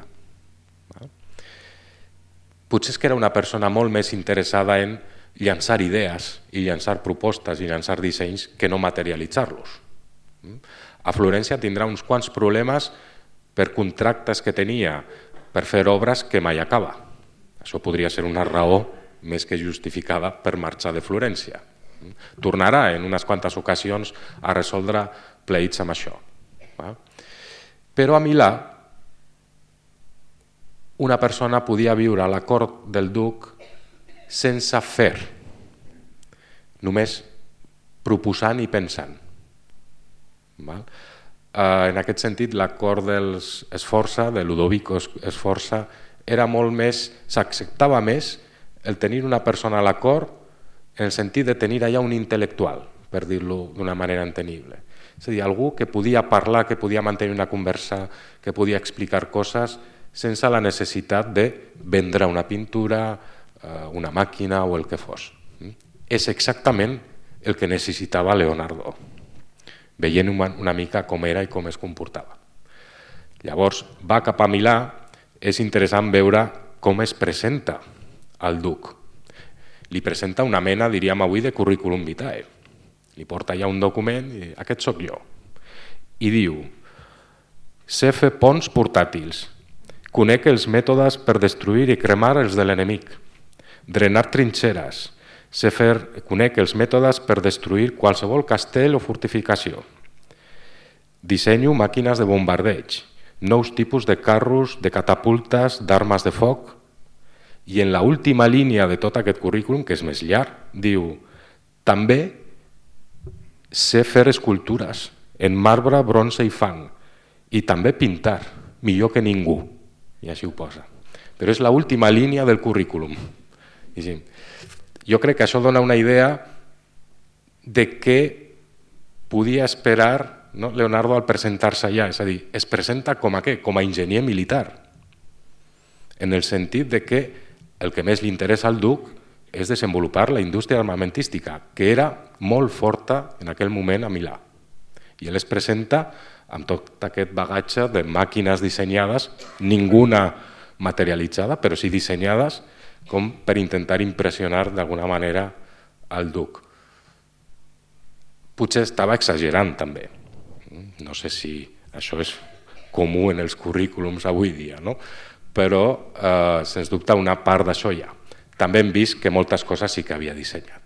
Potser és que era una persona molt més interessada en llançar idees i llançar propostes i llançar dissenys que no materialitzar-los. A Florència tindrà uns quants problemes per contractes que tenia per fer obres que mai acaba. Això podria ser una raó més que justificada per marxar de Florència. Tornarà en unes quantes ocasions a resoldre pleits amb això. Però a Milà una persona podia viure a la cort del duc sense fer, només proposant i pensant. En aquest sentit, la cort dels Sforza, de Ludovico Sforza, era molt més, s'acceptava més el tenir una persona a la cort en el sentit de tenir allà un intel·lectual, per dir-lo d'una manera entenible. És a dir, algú que podia parlar, que podia mantenir una conversa, que podia explicar coses sense la necessitat de vendre una pintura, una màquina o el que fos. És exactament el que necessitava Leonardo, veient una mica com era i com es comportava. Llavors va cap a Milà, és interessant veure com es presenta al duc. Li presenta una mena, diríem avui, de currículum vitae. Li porta ja un document i aquest sóc jo. I diu, sé fer ponts portàtils, conec els mètodes per destruir i cremar els de l'enemic, drenar trinxeres, sé fer, conec els mètodes per destruir qualsevol castell o fortificació, dissenyo màquines de bombardeig, nous tipus de carros, de catapultes, d'armes de foc, i en l'última línia de tot aquest currículum, que és més llarg, diu, també sé fer escultures en marbre, bronze i fang, i també pintar, millor que ningú, i així ho posa. Però és l'última línia del currículum. Jo crec que això dona una idea de què podia esperar Leonardo al presentar-se allà, és a dir, es presenta com a què? Com a enginyer militar, en el sentit de que el que més li interessa al duc és desenvolupar la indústria armamentística, que era molt forta en aquell moment a Milà. I ell es presenta amb tot aquest bagatge de màquines dissenyades, ninguna materialitzada, però sí dissenyades com per intentar impressionar d'alguna manera al duc. Potser estava exagerant també. No sé si això és comú en els currículums avui dia, no? Però eh, sens dubte una part d'això hi ha. També hem vist que moltes coses sí que havia dissenyat.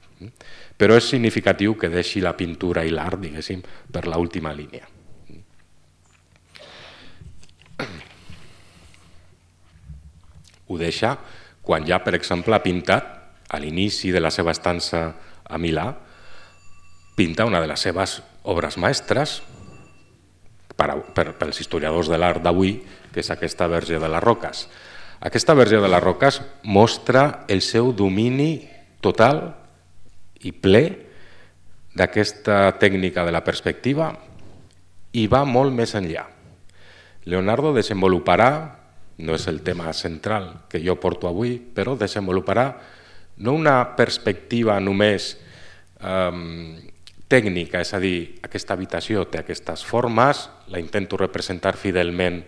Però és significatiu que deixi la pintura i l'art, diguéssim, per l'última línia. Ho deixa quan ja, per exemple, ha pintat, a l'inici de la seva estança a Milà, pinta una de les seves obres mestres, per, per, pels historiadors de l'art d'avui, que és aquesta Verge de les Roques. Aquesta Verge de les Roques mostra el seu domini total i ple d'aquesta tècnica de la perspectiva i va molt més enllà. Leonardo desenvoluparà, no és el tema central que jo porto avui, però desenvoluparà no una perspectiva només eh, tècnica, és a dir, aquesta habitació té aquestes formes, la intento representar fidelment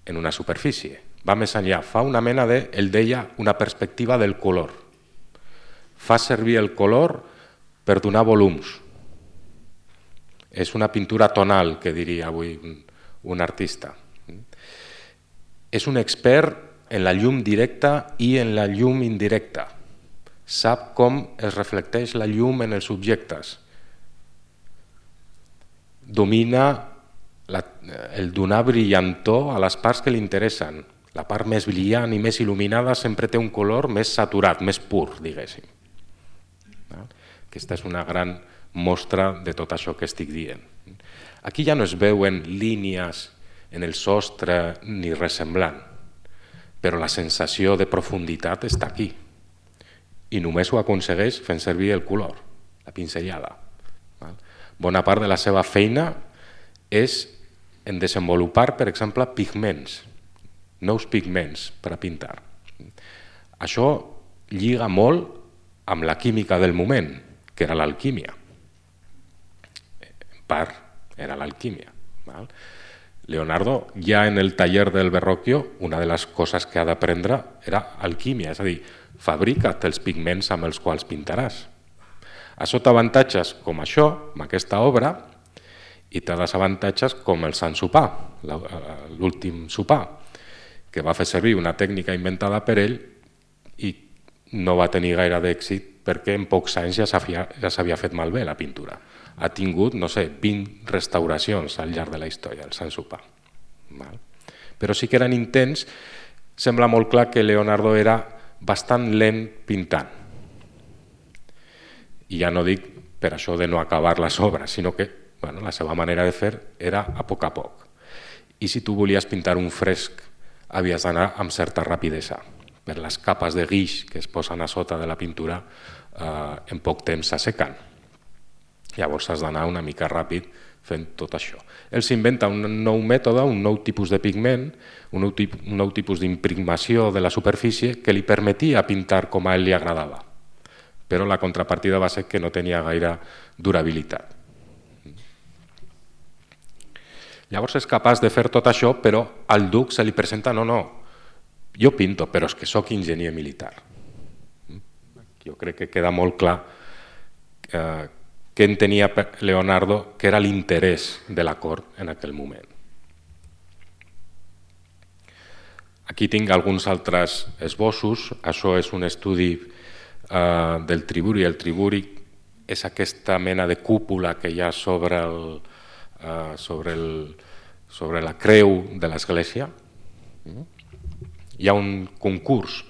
en una superfície. Va més enllà, fa una mena de, ell deia, una perspectiva del color. Fa servir el color per donar volums. És una pintura tonal, que diria avui un artista. És un expert en la llum directa i en la llum indirecta. Sap com es reflecteix la llum en els objectes. Domina la, el donar brillantor a les parts que li interessen. La part més brillant i més il·luminada sempre té un color més saturat, més pur, diguéssim. Aquesta és una gran mostra de tot això que estic dient. Aquí ja no es veuen línies en el sostre ni res semblant, però la sensació de profunditat està aquí. I només ho aconsegueix fent servir el color, la pinzellada. Bona part de la seva feina és en desenvolupar, per exemple, pigments, nous pigments per a pintar. Això lliga molt amb la química del moment, que era l'alquímia. En part era l'alquímia. Leonardo, ja en el taller del Verrocchio, una de les coses que ha d'aprendre era alquímia, és a dir, fabrica't els pigments amb els quals pintaràs. Això té avantatges com això, amb aquesta obra, i té desavantatges com el Sant Sopar, l'últim sopar, que va fer servir una tècnica inventada per ell i no va tenir gaire d'èxit perquè en pocs anys ja s'havia fet malbé la pintura. Ha tingut, no sé, vint restauracions al llarg de la història, el Sant Sopar. Però sí que eren intents, sembla molt clar que Leonardo era bastant lent pintant. I ja no dic per això de no acabar les obres, sinó que bueno, la seva manera de fer era a poc a poc. I si tu volies pintar un fresc, havies d'anar amb certa rapidesa, per les capes de guix que es posen a sota de la pintura eh, en poc temps s'assequen. Llavors has d'anar una mica ràpid fent tot això. Ell s'inventa un nou mètode, un nou tipus de pigment, un nou, tip, un nou tipus d'impregnació de la superfície que li permetia pintar com a ell li agradava. Però la contrapartida va ser que no tenia gaire durabilitat. Llavors és capaç de fer tot això, però al duc se li presenta, no, no, jo pinto, però és que sóc enginyer militar. Jo crec que queda molt clar eh, què entenia Leonardo, que era l'interès de la cort en aquell moment. Aquí tinc alguns altres esbossos. Això és un estudi eh, del triburi. El triburi és aquesta mena de cúpula que hi ha sobre, el, eh, sobre, el, sobre la creu de l'església. Hi ha un concurs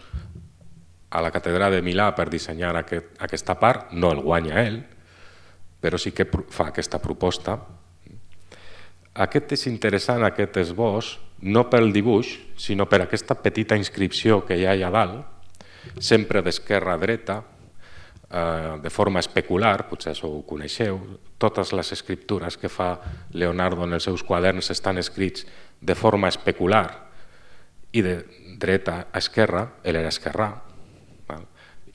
a la catedral de Milà per dissenyar aquest, aquesta part, no el guanya ell, però sí que fa aquesta proposta. Aquest és interessant, aquest esbós, no pel dibuix, sinó per aquesta petita inscripció que hi ha allà dalt, sempre d'esquerra a dreta, eh, de forma especular, potser això ho coneixeu, totes les escriptures que fa Leonardo en els seus quaderns estan escrits de forma especular i de dreta a esquerra, ell era esquerrà. Val?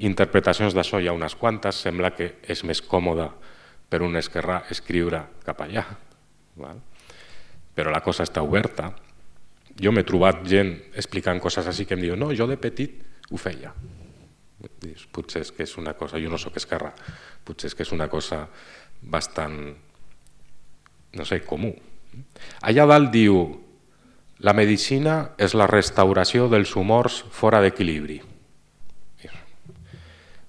Interpretacions d'això hi ha unes quantes, sembla que és més còmode per un esquerrà escriure cap allà. Val? Però la cosa està oberta. Jo m'he trobat gent explicant coses així que em diu no, jo de petit ho feia. Dius, potser és que és una cosa, jo no sóc esquerrà, potser és que és una cosa bastant, no sé, comú. Allà dalt diu la medicina és la restauració dels humors fora d'equilibri.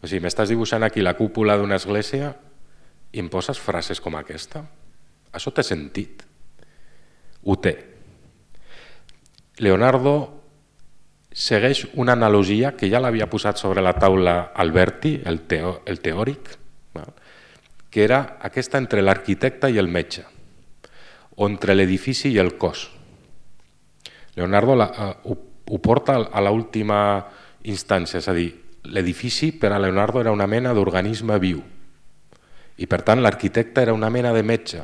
O sigui, m'estàs dibuixant aquí la cúpula d'una església i em poses frases com aquesta? Això té sentit? Ho té. Leonardo segueix una analogia que ja l'havia posat sobre la taula Alberti, el, teo, el teòric, que era aquesta entre l'arquitecte i el metge, o entre l'edifici i el cos. Leonardo la, uh, ho, ho porta a l'última instància, és a dir, l'edifici per a Leonardo era una mena d'organisme viu i per tant l'arquitecte era una mena de metge.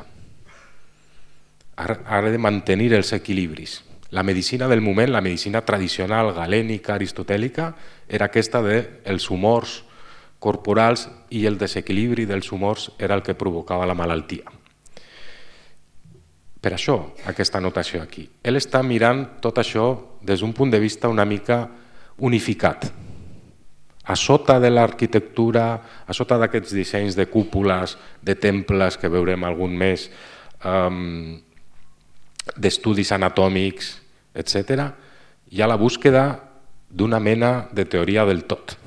Ha de mantenir els equilibris. La medicina del moment, la medicina tradicional galènica, aristotèlica, era aquesta dels humors corporals i el desequilibri dels humors era el que provocava la malaltia. Per això, aquesta anotació aquí. Ell està mirant tot això des d'un punt de vista una mica unificat. A sota de l'arquitectura, a sota d'aquests dissenys de cúpules, de temples que veurem algun més, um, d'estudis anatòmics, etcètera, hi ha la búsqueda d'una mena de teoria del tot,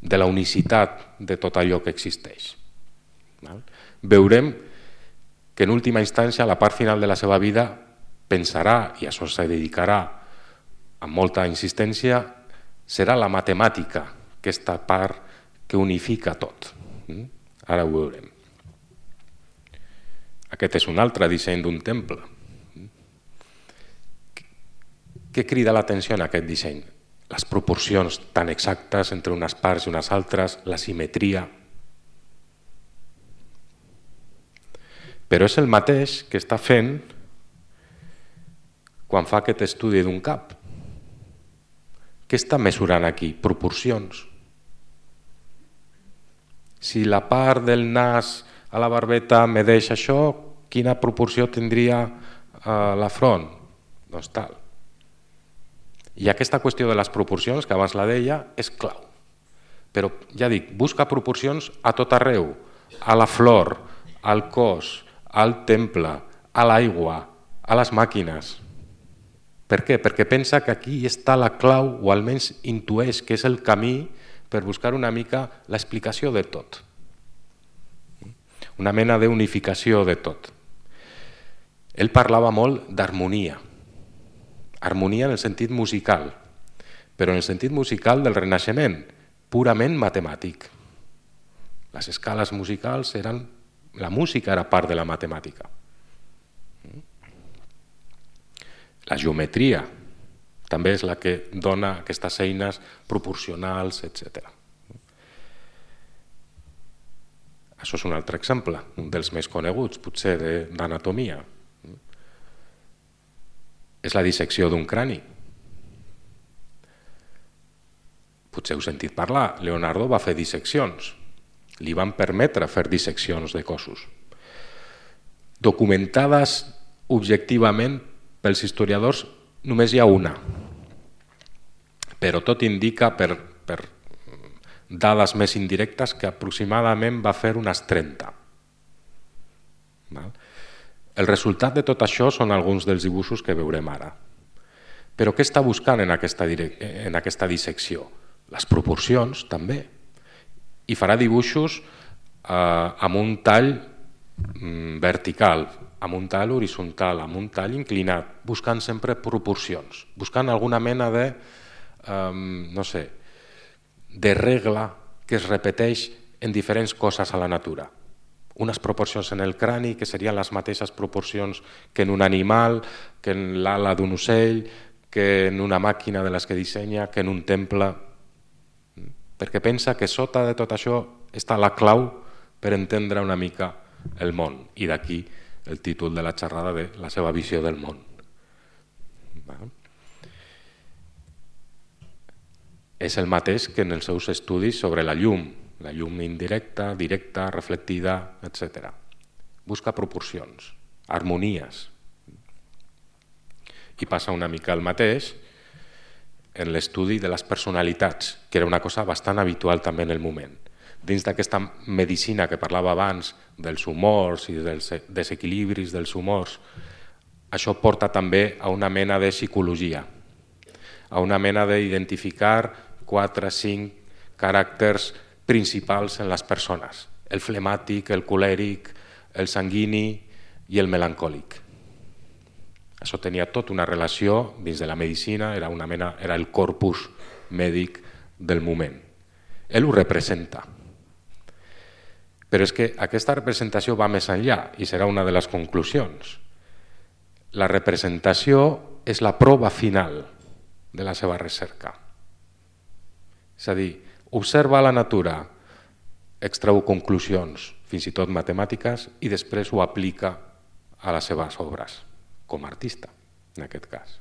de la unicitat de tot allò que existeix. Veurem que en última instància, a la part final de la seva vida, pensarà, i això se dedicarà amb molta insistència, serà la matemàtica, aquesta part que unifica tot. Ara ho veurem. Aquest és un altre disseny d'un temple. Què crida l'atenció en aquest disseny? Les proporcions tan exactes entre unes parts i unes altres, la simetria. Però és el mateix que està fent quan fa aquest estudi d'un cap. Què està mesurant aquí? Proporcions. Si la part del nas a la barbeta medeix això, quina proporció tindria eh, la front? Doncs tal. I aquesta qüestió de les proporcions, que abans la deia, és clau. Però ja dic, busca proporcions a tot arreu, a la flor, al cos, al temple, a l'aigua, a les màquines. Per què? Perquè pensa que aquí està la clau, o almenys intueix que és el camí per buscar una mica l'explicació de tot. Una mena d'unificació de tot. Ell parlava molt d'harmonia. Harmonia en el sentit musical, però en el sentit musical del Renaixement, purament matemàtic. Les escales musicals eren... La música era part de la matemàtica. La geometria també és la que dona aquestes eines proporcionals, etcètera. Això és un altre exemple, un dels més coneguts, potser d'anatomia. És la dissecció d'un crani. Potser heu sentit parlar, Leonardo va fer disseccions. Li van permetre fer disseccions de cossos. Documentades objectivament pels historiadors només hi ha una, però tot indica per, per dades més indirectes que aproximadament va fer unes trenta. El resultat de tot això són alguns dels dibuixos que veurem ara. Però què està buscant en aquesta, en aquesta dissecció? Les proporcions, també. I farà dibuixos eh, amb un tall mm, vertical, amb un tall horitzontal, amb un tall inclinat, buscant sempre proporcions, buscant alguna mena de, eh, no sé, de regla que es repeteix en diferents coses a la natura. Unes proporcions en el crani que serien les mateixes proporcions que en un animal, que en l'ala d'un ocell, que en una màquina de les que dissenya, que en un temple, perquè pensa que sota de tot això està la clau per entendre una mica el món, i d'aquí el títol de la xerrada de la seva visió del món. És el mateix que en els seus estudis sobre la llum, la llum indirecta, directa, reflectida, etcètera. Busca proporcions, harmonies. I passa una mica el mateix en l'estudi de les personalitats, que era una cosa bastant habitual també en el moment. Dins d'aquesta medicina que parlava abans dels humors i dels desequilibris dels humors, això porta també a una mena de psicologia, a una mena d'identificar quatre, cinc caràcters principals en les persones, el flemàtic, el colèric, el sanguini i el melancòlic. Això tenia tota una relació dins de la medicina, era, una mena, era el corpus mèdic del moment. Ell ho representa. Però és que aquesta representació va més enllà i serà una de les conclusions. La representació és la prova final de la seva recerca. És a dir, observa la natura, extreu conclusions, fins i tot matemàtiques, i després ho aplica a les seves obres, com a artista, en aquest cas.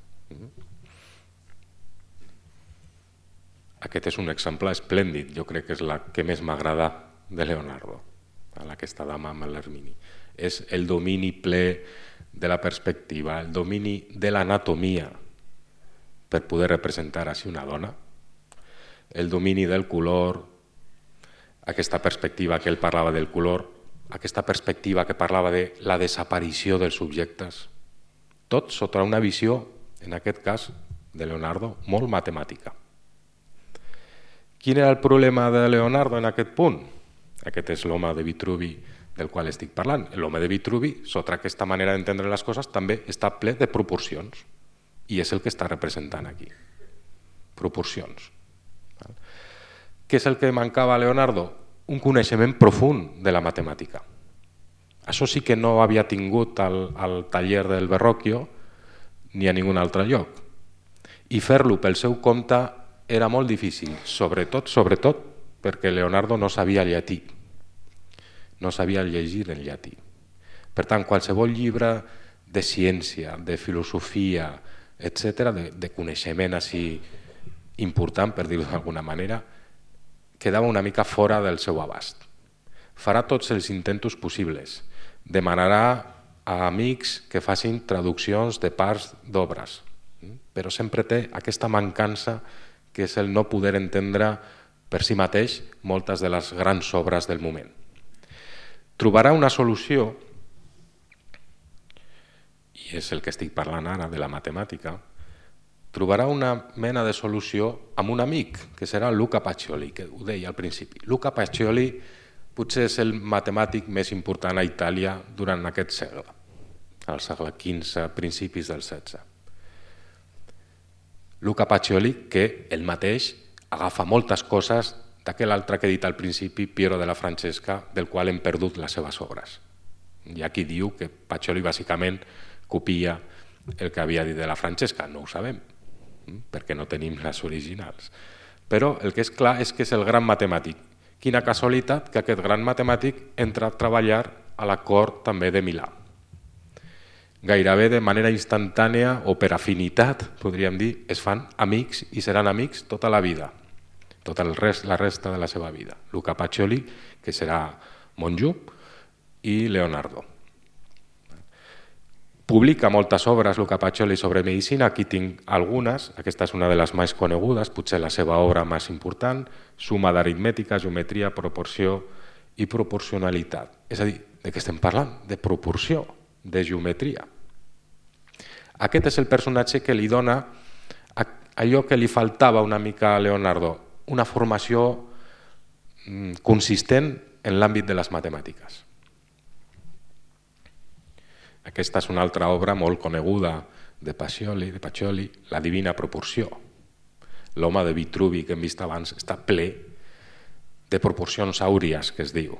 Aquest és un exemple esplèndid, jo crec que és la que més m'agrada de Leonardo, a aquesta dama amb l'Hermini. És el domini ple de la perspectiva, el domini de l'anatomia per poder representar així una dona, el domini del color, aquesta perspectiva que ell parlava del color, aquesta perspectiva que parlava de la desaparició dels subjectes, tot sota una visió, en aquest cas de Leonardo, molt matemàtica. Quin era el problema de Leonardo en aquest punt? Aquest és l'home de Vitruvi del qual estic parlant. L'home de Vitruvi, sota aquesta manera d'entendre les coses, també està ple de proporcions, i és el que està representant aquí. Proporcions. Què és el que mancava a Leonardo? Un coneixement profund de la matemàtica. Això sí que no havia tingut al, al taller del Verrocchio ni a ningun altre lloc. I fer-lo pel seu compte era molt difícil, sobretot, sobretot perquè Leonardo no sabia llatí. No sabia llegir en llatí. Per tant, qualsevol llibre de ciència, de filosofia, etcètera, de, de coneixement així important, per dir-ho d'alguna manera, quedava una mica fora del seu abast. Farà tots els intentos possibles. Demanarà a amics que facin traduccions de parts d'obres, però sempre té aquesta mancança que és el no poder entendre per si mateix moltes de les grans obres del moment. Trobarà una solució, i és el que estic parlant ara de la matemàtica, trobarà una mena de solució amb un amic, que serà Luca Pacioli, que ho deia al principi. Luca Pacioli potser és el matemàtic més important a Itàlia durant aquest segle, al segle quinze, principis del setze. Luca Pacioli, que ell mateix agafa moltes coses d'aquell altre que he dit al principi, Piero della Francesca, del qual hem perdut les seves obres. Hi ha qui diu que Pacioli bàsicament copia el que havia dit de la Francesca, no ho sabem, perquè no tenim les originals. Però el que és clar és que és el gran matemàtic quina casualitat que aquest gran matemàtic entra a treballar a la cort també de Milà. Gairebé de manera instantània o per afinitat, podríem dir, es fan amics i seran amics tota la vida, tota el rest, la resta de la seva vida. Luca Pacioli, que serà monjo, i Leonardo. Publica moltes obres Luca Pacioli sobre medicina, aquí tinc algunes, aquesta és una de les més conegudes, potser la seva obra més important, suma d'aritmètica, geometria, proporció i proporcionalitat. És a dir, de què estem parlant? De proporció, de geometria. Aquest és el personatge que li dona allò que li faltava una mica a Leonardo, una formació consistent en l'àmbit de les matemàtiques. Aquesta és una altra obra molt coneguda de Pacioli, de Pacioli, La divina proporció. L'home de Vitruvi que hem vist abans està ple de proporcions àuries, que es diu.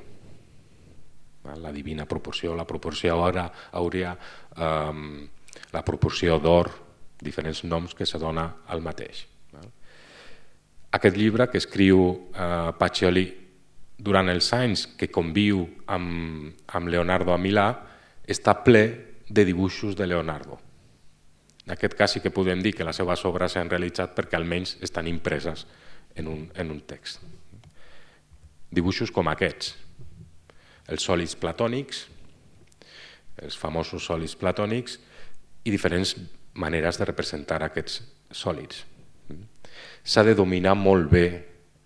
La divina proporció, la proporció àurea, eh, la proporció d'or, diferents noms que se dona al mateix. Aquest llibre que escriu eh, Pacioli durant els anys que conviu amb, amb Leonardo a Milà està ple de dibuixos de Leonardo. En aquest cas sí que podem dir que les seves obres s'han realitzat perquè almenys estan impreses en un, en un text. Dibuixos com aquests, els sòlids platònics, els famosos sòlids platònics i diferents maneres de representar aquests sòlids. S'ha de dominar molt bé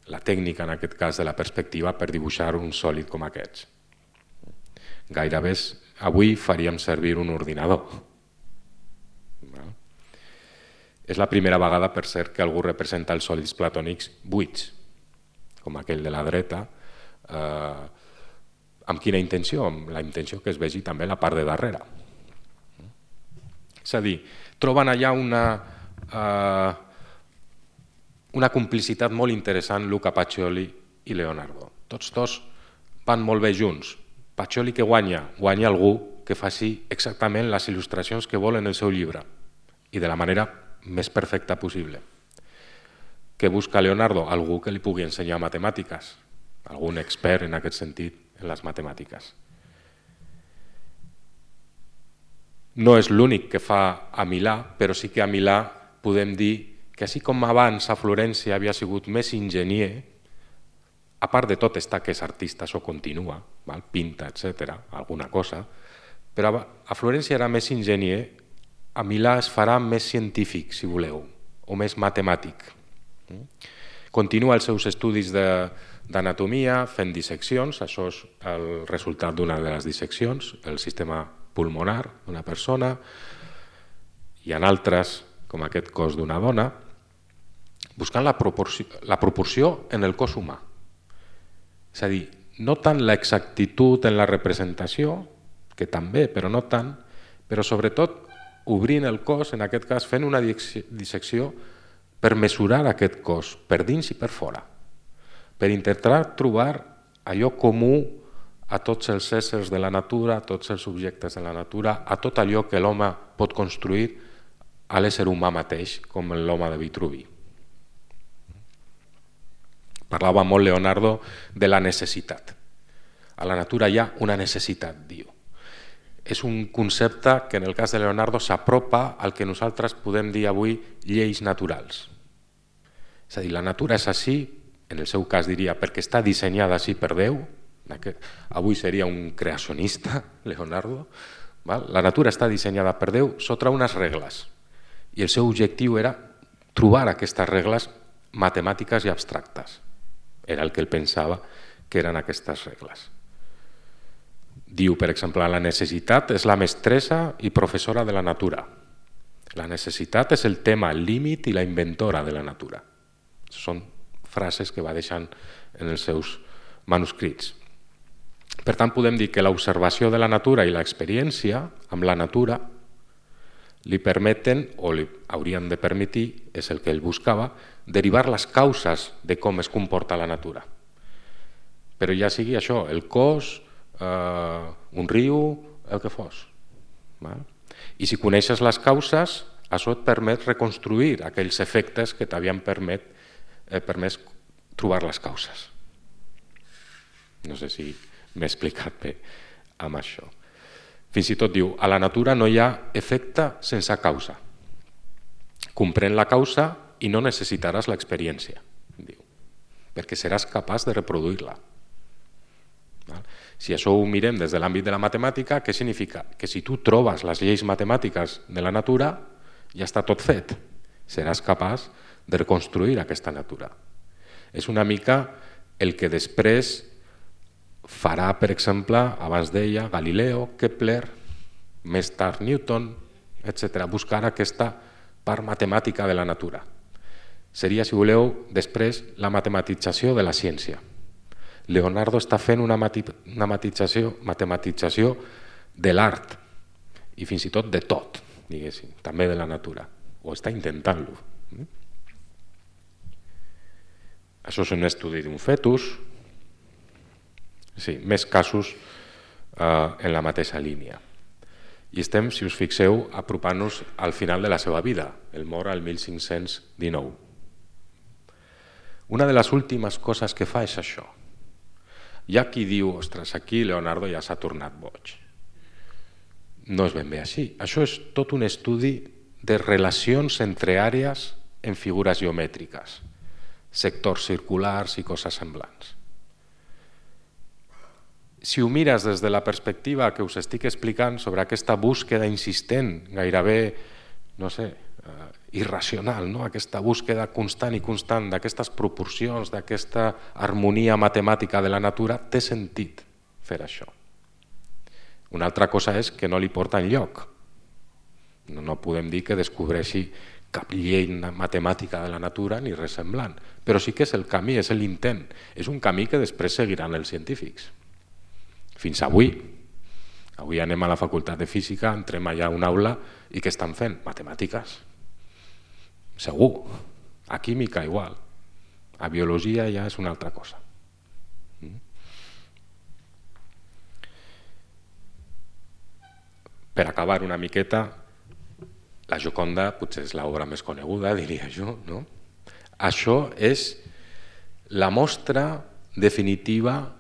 la tècnica, en aquest cas, de la perspectiva per dibuixar un sòlid com aquests. Gairebé avui faríem servir un ordinador. És la primera vegada, per cert, que algú representa els sòlids platònics buits, com aquell de la dreta. Eh, amb quina intenció? Amb la intenció que es vegi també la part de darrere. És a dir, troben allà una, eh, una complicitat molt interessant Luca Pacioli i Leonardo. Tots dos van molt bé junts. Pacioli que guanya, guanya algú que faci exactament les il·lustracions que vol en el seu llibre i de la manera més perfecta possible. Què busca Leonardo? Algú que li pugui ensenyar matemàtiques, algun expert en aquest sentit en les matemàtiques. No és l'únic que fa a Milà, però sí que a Milà podem dir que així com abans a Florència havia sigut més enginyer, a part de tot està que és artista, això continua, val? Pinta, etcètera, alguna cosa, però a Florència era més enginyer, a Milà es farà més científic, si voleu, o més matemàtic. Continua els seus estudis d'anatomia fent disseccions, això és el resultat d'una de les disseccions, el sistema pulmonar d'una persona, i en altres, com aquest cos d'una dona, buscant la proporció, la proporció en el cos humà. És a dir, no tant l'exactitud en la representació, que també, però no tant, però sobretot obrint el cos, en aquest cas fent una dissecció per mesurar aquest cos, per dins i per fora, per intentar trobar allò comú a tots els éssers de la natura, a tots els objectes de la natura, a tot allò que l'home pot construir a l'ésser humà mateix, com l'home de Vitruvi. Parlava molt Leonardo de la necessitat. A la natura hi ha una necessitat, diu. És un concepte que en el cas de Leonardo s'apropa al que nosaltres podem dir avui lleis naturals. És a dir, la natura és així, en el seu cas diria perquè està dissenyada així per Déu, avui seria un creacionista, Leonardo, la natura està dissenyada per Déu sota unes regles i el seu objectiu era trobar aquestes regles matemàtiques i abstractes. Era el que ell pensava que eren aquestes regles. Diu, per exemple, la necessitat és la mestressa i professora de la natura. La necessitat és el tema, el límit i la inventora de la natura. Són frases que va deixant en els seus manuscrits. Per tant, podem dir que l'observació de la natura i l'experiència amb la natura li permeten, o li haurien de permetir, és el que ell buscava, derivar les causes de com es comporta la natura. Però ja sigui això, el cos, eh, un riu, el que fos. Val? I si coneixes les causes, això et permet reconstruir aquells efectes que t'havien permet, eh, permès trobar les causes. No sé si m'he explicat bé amb això. Fins i tot diu, a la natura no hi ha efecte sense causa. Comprèn la causa i no necessitaràs l'experiència, diu, perquè seràs capaç de reproduir-la. Si això ho mirem des de l'àmbit de la matemàtica, què significa? Que si tu trobes les lleis matemàtiques de la natura, ja està tot fet. Seràs capaç de reconstruir aquesta natura. És una mica el que després farà, per exemple, abans deia, Galileo, Kepler, més tard Newton, etcètera, buscar aquesta part matemàtica de la natura. Seria, si voleu, després la matematització de la ciència. Leonardo està fent una matematització, matematització de l'art i fins i tot de tot, diguéssim, també de la natura, o està intentant-lo. Això és un estudi d'un fetus, sí, més casos eh, en la mateixa línia. I estem, si us fixeu, apropant-nos al final de la seva vida. El mor al mil cinc-cents dinou. Una de les últimes coses que fa és això. Hi ha qui diu, ostres, aquí Leonardo ja s'ha tornat boig. No és ben bé així. Això és tot un estudi de relacions entre àrees en figures geomètriques, sectors circulars i coses semblants. Si ho mires des de la perspectiva que us estic explicant sobre aquesta búsqueda insistent, gairebé, no sé, eh, irracional, no? Aquesta búsqueda constant i constant d'aquestes proporcions, d'aquesta harmonia matemàtica de la natura, té sentit fer això. Una altra cosa és que no li porta enlloc. No, no podem dir que descobreixi cap llei matemàtica de la natura ni res semblant, però sí que és el camí, és l'intent. És un camí que després seguiran els científics. Fins avui. Avui anem a la facultat de física, entrem allà a una aula i què estan fent? Matemàtiques. Segur. A química igual. A biologia ja és una altra cosa. Per acabar una miqueta, la Gioconda potser és l'obra més coneguda, diria jo, no? Això és la mostra definitiva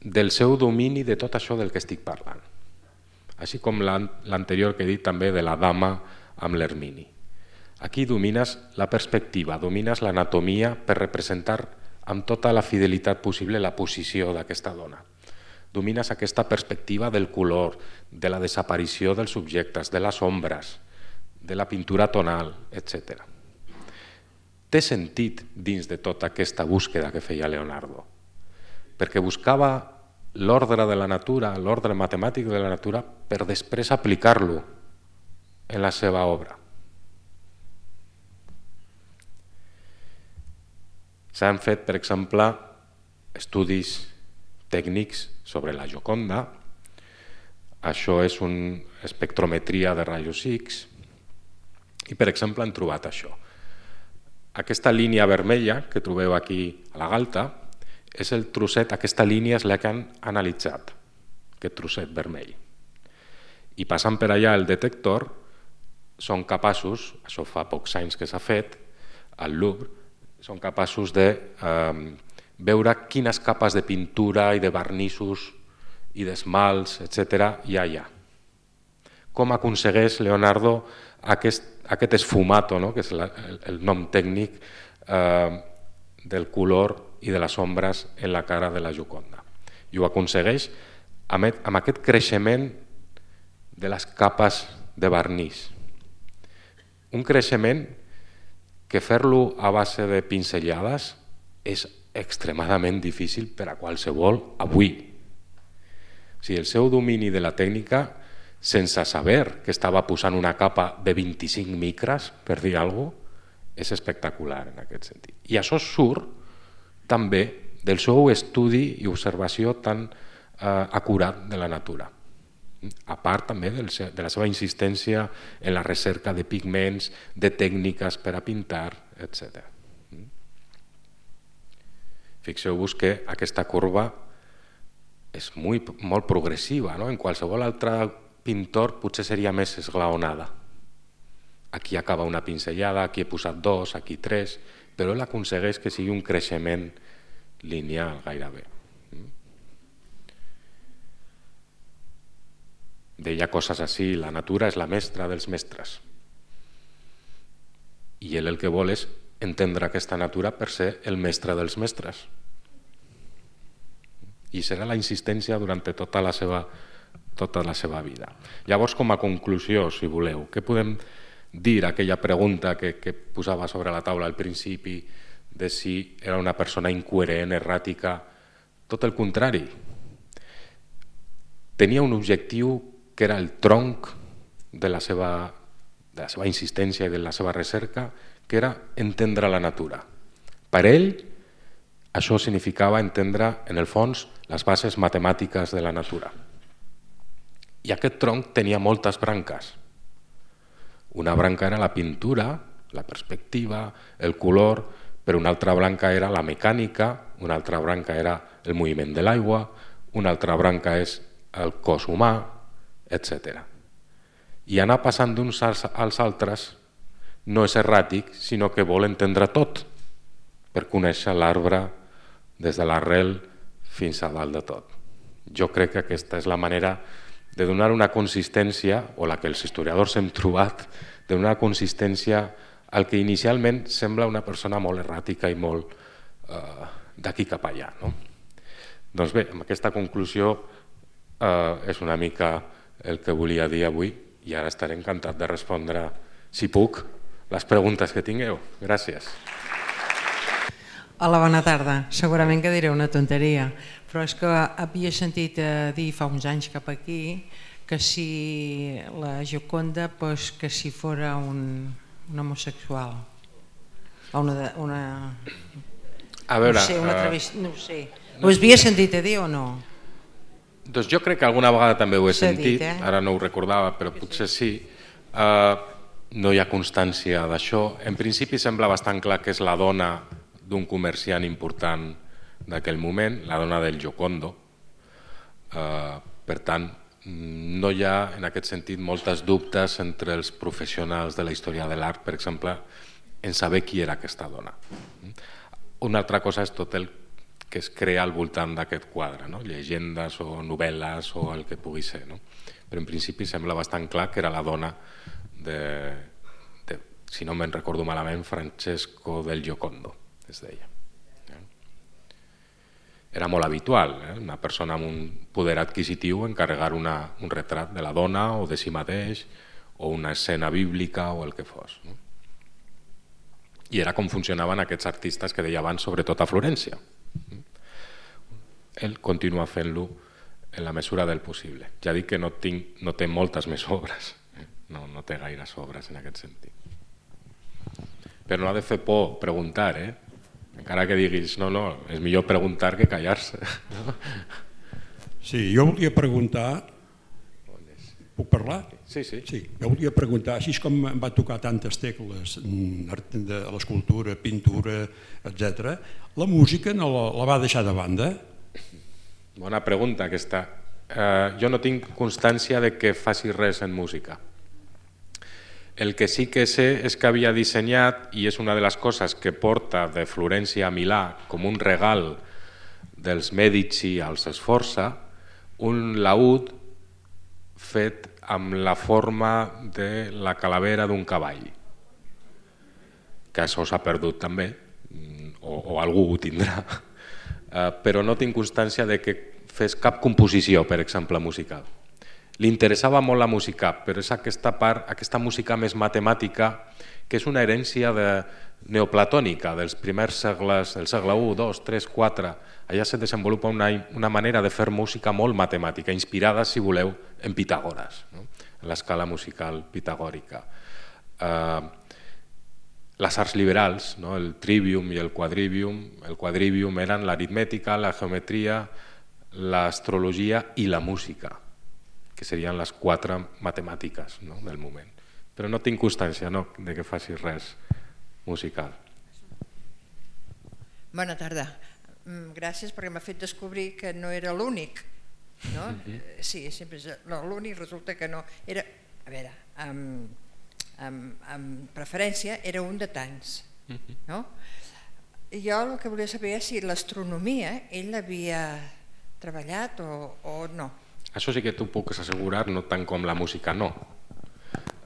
del seu domini de tot això del que estic parlant. Així com l'anterior que he dit també de la dama amb l'Hermini. Aquí domines la perspectiva, domines l'anatomia per representar amb tota la fidelitat possible la posició d'aquesta dona. Domines aquesta perspectiva del color, de la desaparició dels subjectes, de les ombres, de la pintura tonal, etcètera. Té sentit dins de tota aquesta búsqueda que feia Leonardo, perquè buscava l'ordre de la natura, l'ordre matemàtic de la natura, per després aplicar-lo en la seva obra. S'han fet, per exemple, estudis tècnics sobre la Gioconda. Això és una espectrometria de rajos X i, per exemple, han trobat això. Aquesta línia vermella que trobeu aquí a la galta és el trosset, aquesta línia és la que han analitzat, aquest trosset vermell. I passant per allà el detector, són capaços, això fa pocs anys que s'ha fet, al Louvre, són capaços de eh, veure quines capes de pintura i de vernissos i d'esmalts, etcètera, hi ha allà. Com aconsegueix Leonardo aquest, aquest esfumato, no? Que és la, el, el nom tècnic eh, del color i de les ombres en la cara de la Gioconda. I ho aconsegueix amb, amb aquest creixement de les capes de vernís. Un creixement que fer-lo a base de pinzellades és extremadament difícil per a qualsevol avui. O sigui, el seu domini de la tècnica, sense saber que estava posant una capa de vint-i-cinc micres, per dir alguna cosa, és espectacular en aquest sentit. I això surt també del seu estudi i observació tan eh, acurat de la natura. A part també de la seva insistència en la recerca de pigments, de tècniques per a pintar, etcètera. Fixeu-vos que aquesta curva és molt, molt progressiva, no? En qualsevol altre pintor potser seria més esglaonada. Aquí acaba una pinzellada, aquí he posat dos, aquí tres, però ell aconsegueix que sigui un creixement lineal gairebé. Deia coses així: la natura és la mestra dels mestres. I ell el que vol és entendre aquesta natura per ser el mestre dels mestres. I serà la insistència durant tota la seva, tota la seva vida. Llavors, com a conclusió, si voleu, què podem dir a aquella pregunta que, que posava sobre la taula al principi de si era una persona incoherent, erràtica? Tot el contrari. Tenia un objectiu que era el tronc de la seva, de la seva insistència i de la seva recerca, que era entendre la natura. Per ell, això significava entendre, en el fons, les bases matemàtiques de la natura. I aquest tronc tenia moltes branques. Una branca era la pintura, la perspectiva, el color, però una altra branca era la mecànica, una altra branca era el moviment de l'aigua, una altra branca és el cos humà, etcètera. I anar passant d'uns als altres no és erràtic, sinó que vol entendre tot, per conèixer l'arbre des de l'arrel fins a dalt de tot. Jo crec que aquesta és la manera de donar una consistència, o la que els historiadors hem trobat, de donar consistència al que inicialment sembla una persona molt erràtica i molt eh, d'aquí cap allà. No? Doncs bé, amb aquesta conclusió eh, és una mica el que volia dir avui, i ara estaré encantat de respondre, si puc, les preguntes que tingueu. Gràcies. Hola, bona tarda. Segurament que diré una tonteria, però és que havia sentit dir fa uns anys cap aquí que si la Gioconda, pues, que si fora un, un homosexual. O una, una... A veure... No sé, una travesti... No ho sé. Ho havia sentit a dir o no? Doncs jo crec que alguna vegada també ho he sentit, dit, eh? Ara no ho recordava, però potser sí. Uh, no hi ha constància d'això. En principi sembla bastant clar que és la dona d'un comerciant important d'aquell moment, la dona del Giocondo. Uh, per tant, no hi ha en aquest sentit moltes dubtes entre els professionals de la història de l'art, per exemple, en saber qui era aquesta dona. Una altra cosa és tot el que es crea al voltant d'aquest quadre, no? Llegendes o novel·les o el que pugui ser. No? Però en principi sembla bastant clar que era la dona de, de si no me'n recordo malament, Francesco del Giocondo, es deia. Era molt habitual, eh? Una persona amb un poder adquisitiu encarregar una, un retrat de la dona o de si mateix o una escena bíblica o el que fos. No? I era com funcionaven aquests artistes que deia abans, sobretot a Florència. Ell continua fent-lo en la mesura del possible. Ja dic que no, tinc, no té moltes més obres, eh? no, no té gaires obres en aquest sentit. Però no ha de fer por preguntar, eh? Encara que diguis, no, no, és millor preguntar que callar-se. No? Sí, jo volia preguntar... Puc parlar? Sí, sí. Sí, jo volia preguntar, així com em va tocar tantes tecles de l'escultura, pintura, etcètera, la música no la, la va deixar de banda? Bona pregunta aquesta. Eh, jo no tinc constància de que faci res en música. El que sí que sé és que havia dissenyat, i és una de les coses que porta de Florència a Milà com un regal dels Medici als Sforza, un laúd fet amb la forma de la calavera d'un cavall, que això s'ha perdut també, o, o algú ho tindrà, uh, però no tinc constància de que fes cap composició, per exemple, musical. Li interessava molt la música, però és aquesta part, aquesta música més matemàtica, que és una herència de neoplatònica dels primers segles, del segle u, dos, tres, quatre. Allà se desenvolupa una, una manera de fer música molt matemàtica, inspirada, si voleu, en Pitàgores, no? En l'escala musical pitagòrica. Uh, les arts liberals, no? El trivium i el quadrivium, el quadrivium eren l'aritmètica, la geometria, l'astrologia i la música, que serien les quatre matemàtiques, no? Del moment. Però no tinc constància, no, de que faci res musical. Bona tarda. Gràcies perquè m'ha fet descobrir que no era l'únic. No? Uh-huh. Sí, sempre és l'únic, resulta que no. Era, a veure, amb, amb, amb preferència era un de tants. Uh-huh. No? Jo el que volia saber és si l'astronomia ell l'havia treballat o, o no. Això sí que t'ho puc assegurar, no tant com la música, no.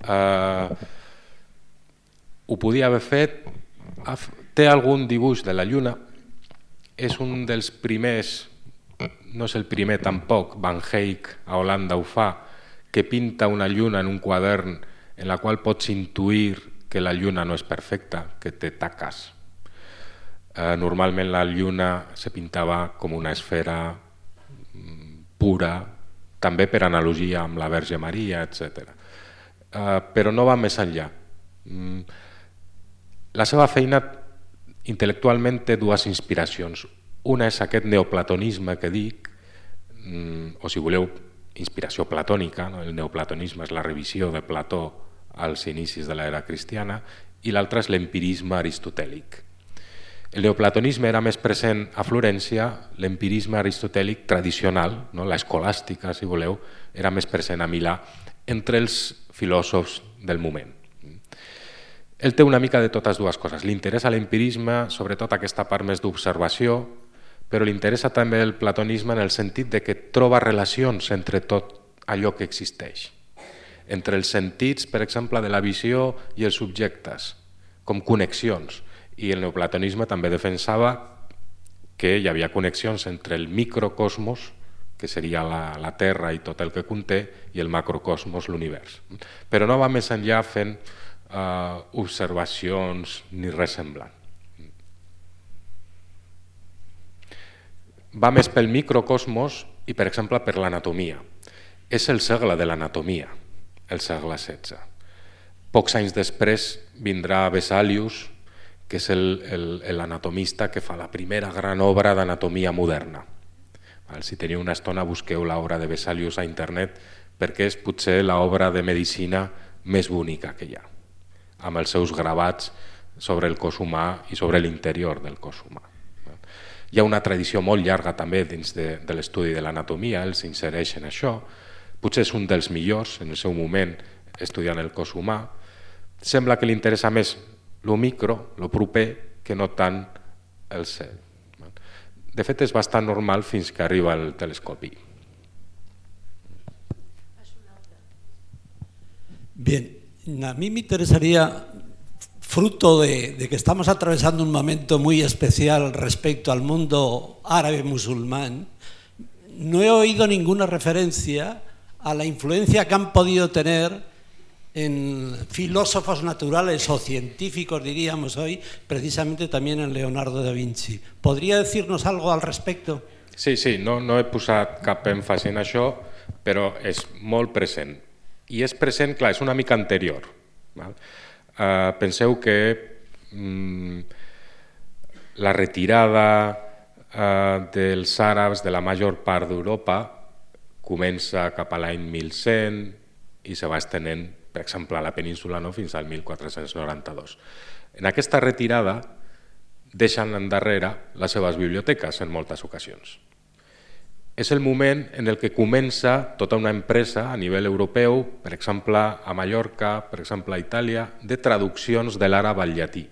Uh, ho podia haver fet, té algun dibuix de la lluna, és un dels primers, no és el primer tampoc, Van Eyck a Holanda ho fa, que pinta una lluna en un quadern en la qual pots intuir que la lluna no és perfecta, que té taques. Uh, normalment la lluna se pintava com una esfera pura, també per analogia amb la Verge Maria, etcètera. Uh, però no va més enllà. Mm. La seva feina intel·lectualment té dues inspiracions. Una és aquest neoplatonisme que dic, mm, o si voleu, inspiració platònica, no? El neoplatonisme és la revisió de Plató als inicis de l'era cristiana, i l'altra és l'empirisme aristotèlic. El neoplatonisme era més present a Florència, l'empirisme aristotèlic tradicional, no? L'escolàstica, si voleu, era més present a Milà, entre els filòsofs del moment. Ell té una mica de totes dues coses. Li interessa l'empirisme, sobretot aquesta part més d'observació, però li interessa també el platonisme en el sentit de que troba relacions entre tot allò que existeix. Entre els sentits, per exemple, de la visió i els subjectes, com connexions. I el neoplatonisme també defensava que hi havia connexions entre el microcosmos, que seria la, la Terra i tot el que conté, i el macrocosmos, l'univers. Però no va més enllà fent uh, observacions ni res semblant. Va més pel microcosmos i, per exemple, per l'anatomia. És el segle de l'anatomia, el segle setze. Pocs anys després vindrà Vesalius, que és l'anatomista que fa la primera gran obra d'anatomia moderna. Si teniu una estona, busqueu l'obra de Vesalius a internet, perquè és potser l'obra de medicina més bonica que hi ha, amb els seus gravats sobre el cos humà i sobre l'interior del cos humà. Hi ha una tradició molt llarga també dins de, de l'estudi de l'anatomia, ell s'insereix en això, potser és un dels millors en el seu moment estudiant el cos humà. Sembla que li interessa més lo micro, lo proper, que no tant el cel. De fet, és bastant normal fins que arriba el telescopi. Bien, a mí me interesaría, fruto de, de que estamos atravesando un momento muy especial respecto al mundo árabe musulmán, no he oído ninguna referencia a la influencia que han podido tener en filósofos naturales o científicos, diríamos hoy, precisamente también en Leonardo da Vinci. ¿Podría decirnos algo al respecto? Sí, sí, no, no he posat cap èmfasi en això, però és molt present. I és present, clar, és una mica anterior. Val? Uh, penseu que mm, la retirada uh, dels àrabs de la major part d'Europa comença cap a l'any mil cent i se va estenent, per exemple, a la península, no? Fins al mil quatre-cents noranta-dos. En aquesta retirada deixen endarrere les seves biblioteques en moltes ocasions. És el moment en el que comença tota una empresa a nivell europeu, per exemple a Mallorca, per exemple a Itàlia, de traduccions de l'àrab al llatí.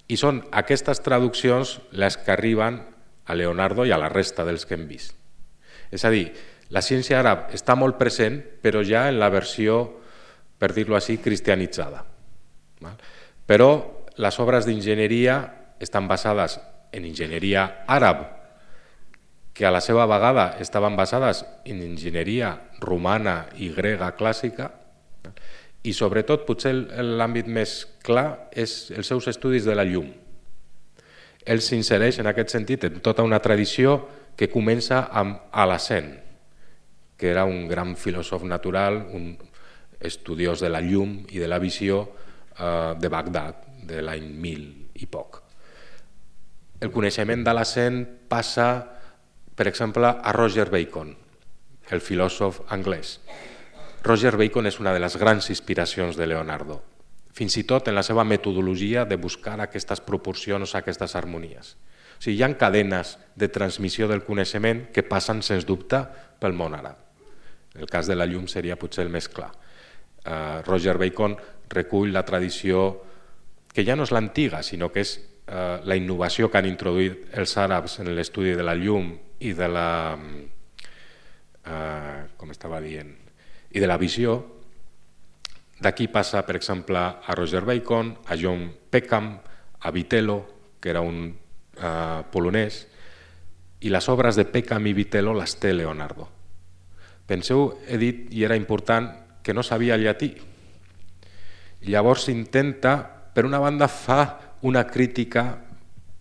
I són aquestes traduccions les que arriben a Leonardo i a la resta dels que hem vist. És a dir, la ciència àrab està molt present, però ja en la versió, per dir-ho així, cristianitzada. Però les obres d'enginyeria estan basades en enginyeria àrab, que a la seva vegada estaven basades en enginyeria romana i grega clàssica, i sobretot, potser l'àmbit més clar és els seus estudis de la llum. Ell s'insereix en aquest sentit en tota una tradició que comença amb Al-Hazen, que era un gran filòsof natural, un estudiós de la llum i de la visió eh, de Bagdad, de l'any mil i poc. El coneixement d'Al-Hazen passa, per exemple, a Roger Bacon, el filòsof anglès. Roger Bacon és una de les grans inspiracions de Leonardo, fins i tot en la seva metodologia de buscar aquestes proporcions, aquestes harmonies. O sigui, hi ha cadenes de transmissió del coneixement que passen, sens dubte, pel món àrab. El cas de la llum seria potser el més clar. Uh, Roger Bacon recull la tradició que ja no és l'antiga, sinó que és uh, la innovació que han introduït els àrabs en l'estudi de la llum i de la, eh, com estava dient, i de la visió. D'aquí passa, per exemple, a Roger Bacon, a John Peckham, a Vitello, que era un eh, polonès, i les obres de Peckham i Vitello les té Leonardo. Penseu, he dit, i era important, que no sabia llatí. I llavors intenta, per una banda, fa una crítica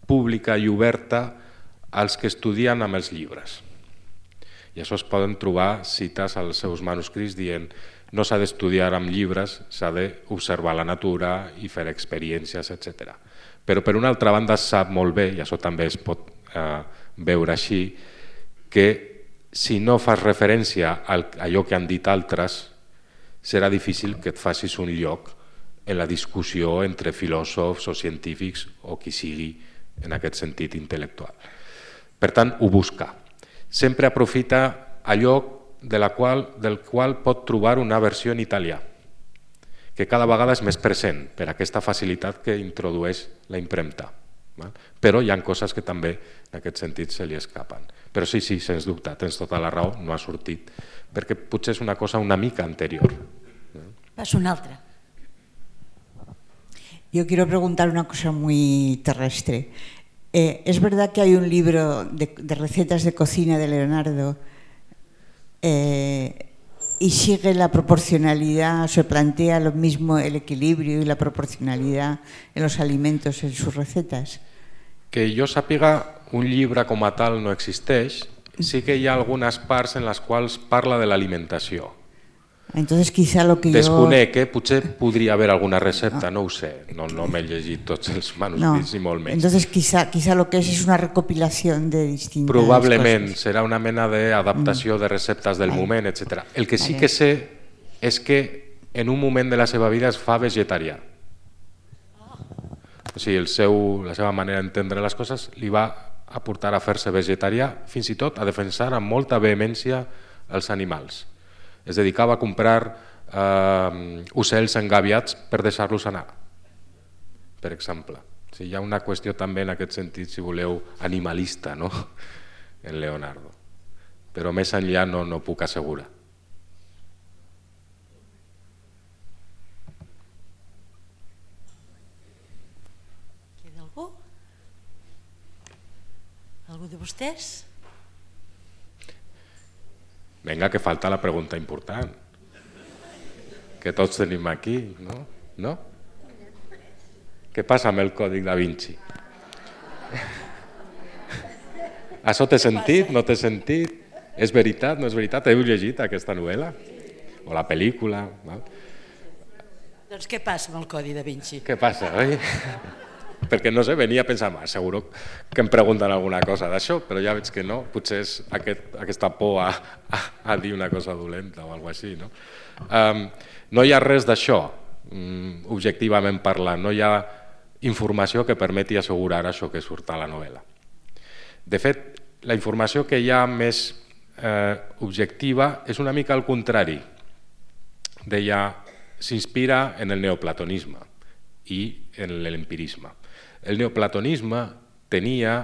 pública i oberta als que estudien amb els llibres. I això es poden trobar cites als seus manuscrits dient no s'ha d'estudiar amb llibres, s'ha d'observar la natura i fer experiències, etcètera. Però per una altra banda sap molt bé, i això també es pot eh, veure així, que si no fas referència a allò que han dit altres, serà difícil que et facis un lloc en la discussió entre filòsofs o científics o qui sigui en aquest sentit intel·lectual. Per tant, ho busca. Sempre aprofita allò de la qual, del qual pot trobar una versió en italià, que cada vegada és més present per aquesta facilitat que introdueix la impremta. Però hi ha coses que també en aquest sentit se li escapen. Però sí, sí, sens dubte, tens tota la raó, no ha sortit, perquè potser és una cosa una mica anterior. Paso una altra. Yo quiero preguntar una cosa muy terrestre. Eh, ¿Es verdad que hay un libro de, de recetas de cocina de Leonardo eh, y sigue la proporcionalidad, o se plantea lo mismo el equilibrio y la proporcionalidad en los alimentos en sus recetas? Que jo sàpiga, un llibre com a tal no existeix, sí que hi ha algunes parts en les quals parla de l'alimentació. Entonces quizá lo que Desconec, yo... eh? Potser podria haver alguna recepta, no ho sé, no, no m'he llegit tots els manuscrits no. ni molt menys. Entonces quizá, quizá lo que es es una recopilación de distintas Probablement cosas. serà una mena d'adaptació mm. de receptes del vale. moment, etcètera. El que sí vale. que sé és que en un moment de la seva vida es fa vegetarià. O sigui, el seu, la seva manera d'entendre les coses li va aportar a fer-se vegetarià, fins i tot a defensar amb molta vehemència els animals. Es dedicava a comprar eh, ocells engaviats per deixar-los anar, per exemple. O sigui, hi ha una qüestió també en aquest sentit, si voleu, animalista, no? En Leonardo. Però més enllà no, no puc assegurar. Queda algú? Algú de vostès? Vinga, que falta la pregunta important. Que tots tenim aquí, no? No? Què passa amb el Còdic da Vinci? Això t'he sentit? No t'he sentit? És veritat? No és veritat? Heu llegit aquesta novel·la? O la pel·lícula? Val? Doncs què passa amb el Codi da Vinci? Què passa, oi? Perquè no sé, venia a pensar, seguro que em pregunten alguna cosa d'això, però ja veig que no, potser és aquest, aquesta por a, a, a dir una cosa dolenta o alguna cosa així. No, um, no hi ha res d'això, um, objectivament parlant, no hi ha informació que permeti assegurar això que surt a la novel·la. De fet, la informació que hi ha més eh, objectiva és una mica al contrari. Deia, s'inspira en el neoplatonisme i en l'empirisme. El neoplatonisme tenia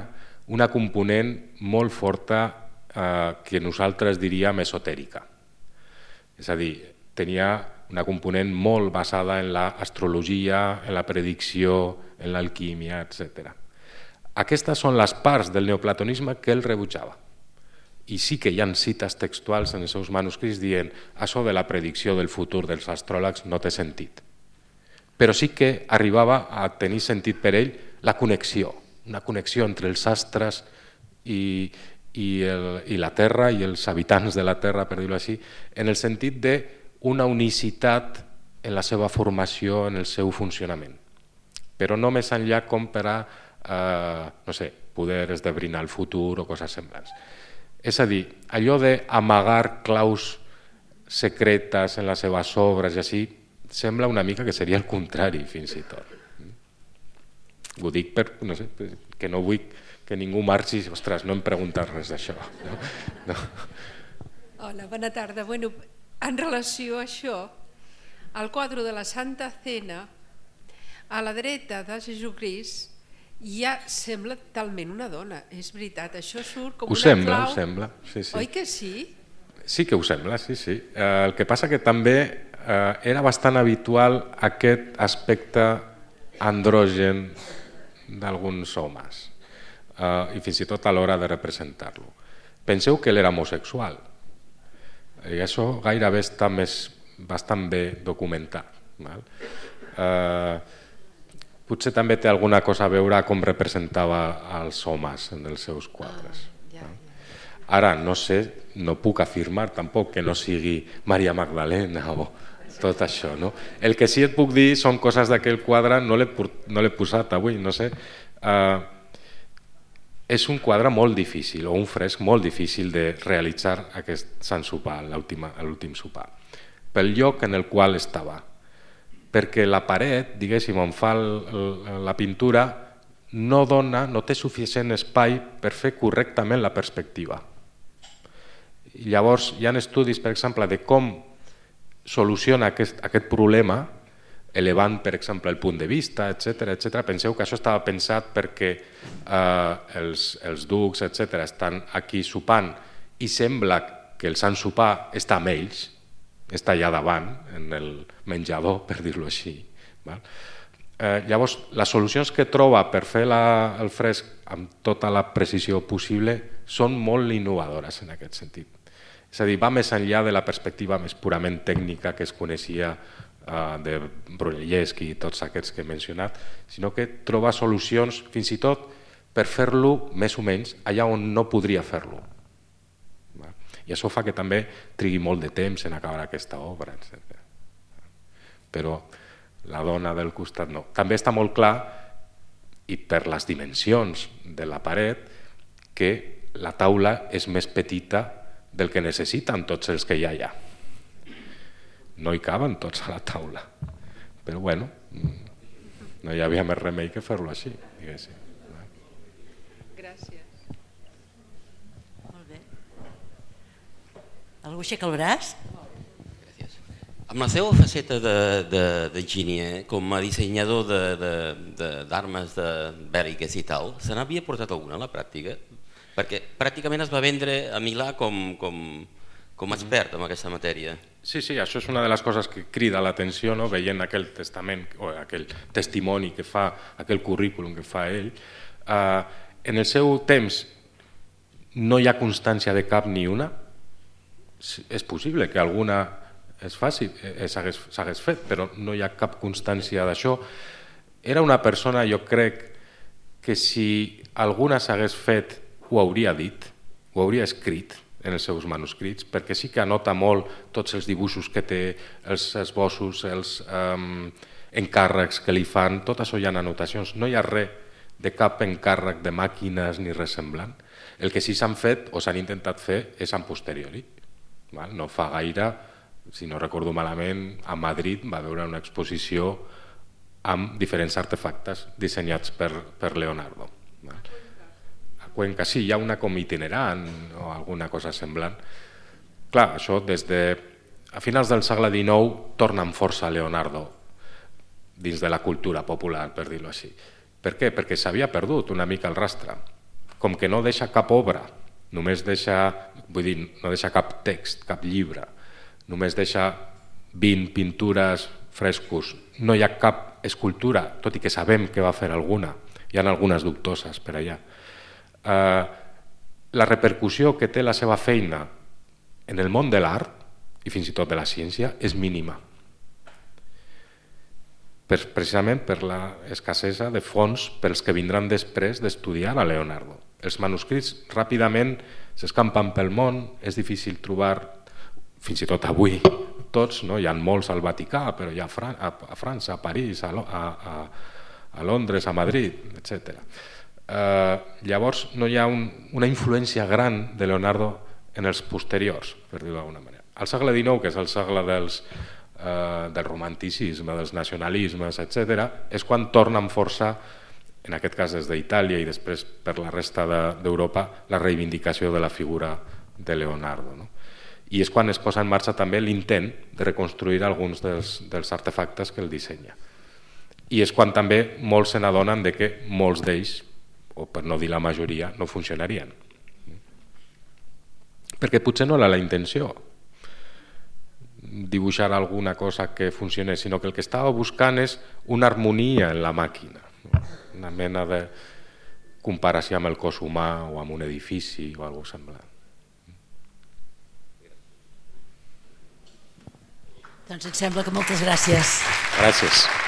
una component molt forta eh, que nosaltres diríem esotèrica. És a dir, tenia una component molt basada en l'astrologia, en la predicció, en l'alquímia, etcètera. Aquestes són les parts del neoplatonisme que ell rebutjava. I sí que hi ha cites textuals en els seus manuscrits dient això de la predicció del futur dels astròlegs no té sentit. Però sí que arribava a tenir sentit per ell la connexió, una connexió entre els astres i, i, el, i la Terra i els habitants de la Terra, per dir-ho així, en el sentit d'una unicitat en la seva formació, en el seu funcionament. Però no més enllà com per a, eh, no sé, poder esdebrinar el futur o coses semblants. És a dir, allò d'amagar claus secretes en les seves obres i així, sembla una mica que seria el contrari, fins i tot. Ho dic per, no sé, que no vull que ningú marxi, ostres, no em preguntes res d'això. No? No. Hola, bona tarda. Bueno, en relació a això, al quadre de la Santa Cena, a la dreta de Jesucrist, ja sembla talment una dona. És veritat, això surt com ho una sembla, clau. Ho sembla, sí, sí. Oi que sí? Sí que ho sembla, sí, sí. Eh, el que passa que també eh, era bastant habitual aquest aspecte andrògen d'alguns homes, eh, i fins i tot a l'hora de representar-lo. Penseu que ell era homosexual, i això gairebé està més, bastant bé documentat. Val? Eh, potser també té alguna cosa a veure com representava els homes en els seus quadres. Ara, no sé, no puc afirmar tampoc que no sigui Maria Magdalena o tot això. No? El que sí et puc dir són coses d'aquell quadre, no l'he posat avui, no sé. Uh, és un quadre molt difícil, o un fresc molt difícil de realitzar aquest Sant Sopar, l'últim sopar, pel lloc en el qual estava. Perquè la paret, diguéssim, on fa la pintura, no dona, no té suficient espai per fer correctament la perspectiva. I llavors hi ha estudis, per exemple, de com soluciona aquest, aquest problema, elevant, per exemple, el punt de vista, etcètera, etcètera. Penseu que això estava pensat perquè eh, els, els ducs, etcètera, estan aquí sopant i sembla que el Sant Sopar està amb ells, està allà davant, en el menjador, per dir-ho així. Val? Eh, llavors, les solucions que troba per fer la, el fresc amb tota la precisió possible són molt innovadores en aquest sentit. És a dir, va més enllà de la perspectiva més purament tècnica que es coneixia eh, de Brunelleschi i tots aquests que he mencionat, sinó que troba solucions fins i tot per fer-lo més o menys allà on no podria fer-lo. I això fa que també trigui molt de temps en acabar aquesta obra, etcètera. Però la dona del costat no. També està molt clar, i per les dimensions de la paret, que la taula és més petita del que necessiten tots els que hi ha allà. No hi caben tots a la taula. Però bueno, no hi havia més remei que fer-lo així, diguéssim. Gràcies. Molt bé. Algú aixeca el braç? Gràcies. Amb la seva faceta d'enginyer, com a dissenyador d'armes bèl·liques i tal, se n'havia portat alguna a la pràctica? Perquè pràcticament es va vendre a Milà com, com, com expert en aquesta matèria. Sí, sí, això és una de les coses que crida l'atenció, no? Veient aquell testament, o aquell testimoni que fa, aquell currículum que fa ell. Uh, en el seu temps no hi ha constància de cap ni una. És possible que alguna es faci, s'hagués fet, però no hi ha cap constància d'això. Era una persona, jo crec, que si alguna s'hagués fet ho hauria dit, ho hauria escrit en els seus manuscrits, perquè sí que anota molt tots els dibuixos que té, els esbossos, els um, encàrrecs que li fan, tot això hi ha anotacions. No hi ha res de cap encàrrec de màquines ni res semblant. El que sí s'han fet o s'han intentat fer és en posteriori. Val? No fa gaire, si no recordo malament, a Madrid va haver una exposició amb diferents artefactes dissenyats per, per Leonardo. Val? Cuenca, sí, hi ha una com itinerant o alguna cosa semblant. Clar, això des de a finals del segle dinou torna amb força Leonardo dins de la cultura popular, per dir-ho així. Per què? Perquè s'havia perdut una mica el rastre. Com que no deixa cap obra, només deixa, vull dir, no deixa cap text, cap llibre, només deixa vint pintures, frescos, no hi ha cap escultura, tot i que sabem que va fer alguna, hi ha algunes dubtoses per allà. Uh, la repercussió que té la seva feina en el món de l'art i fins i tot de la ciència és mínima, per, precisament per l'escassesa de fons pels que vindran després d'estudiar a Leonardo. Els manuscrits ràpidament s'escampen pel món, és difícil trobar, fins i tot avui, tots, no? Hi ha molts al Vaticà, però hi ha a, Fran a, a França, a París, a, a, a, a Londres, a Madrid, etcètera. Uh, llavors no hi ha un, una influència gran de Leonardo en els posteriors, per dir-ho d'alguna manera. Al segle dinou, que és el segle dels, uh, del romanticisme, dels nacionalismes, etcètera, és quan torna amb força, en aquest cas des d'Itàlia i després per la resta d'Europa, la reivindicació de la figura de Leonardo. No? I és quan es posa en marxa també l'intent de reconstruir alguns dels, dels artefactes que el dissenya. I és quan també molts se n'adonen de que molts d'ells, o per no dir la majoria, no funcionarien. perquè potser no era la intenció dibuixar alguna cosa que funcionés, sinó que el que estava buscant és una harmonia en la màquina, una mena de comparació amb el cos humà o amb un edifici o alguna cosa semblant. Doncs em sembla que moltes gràcies. Gràcies.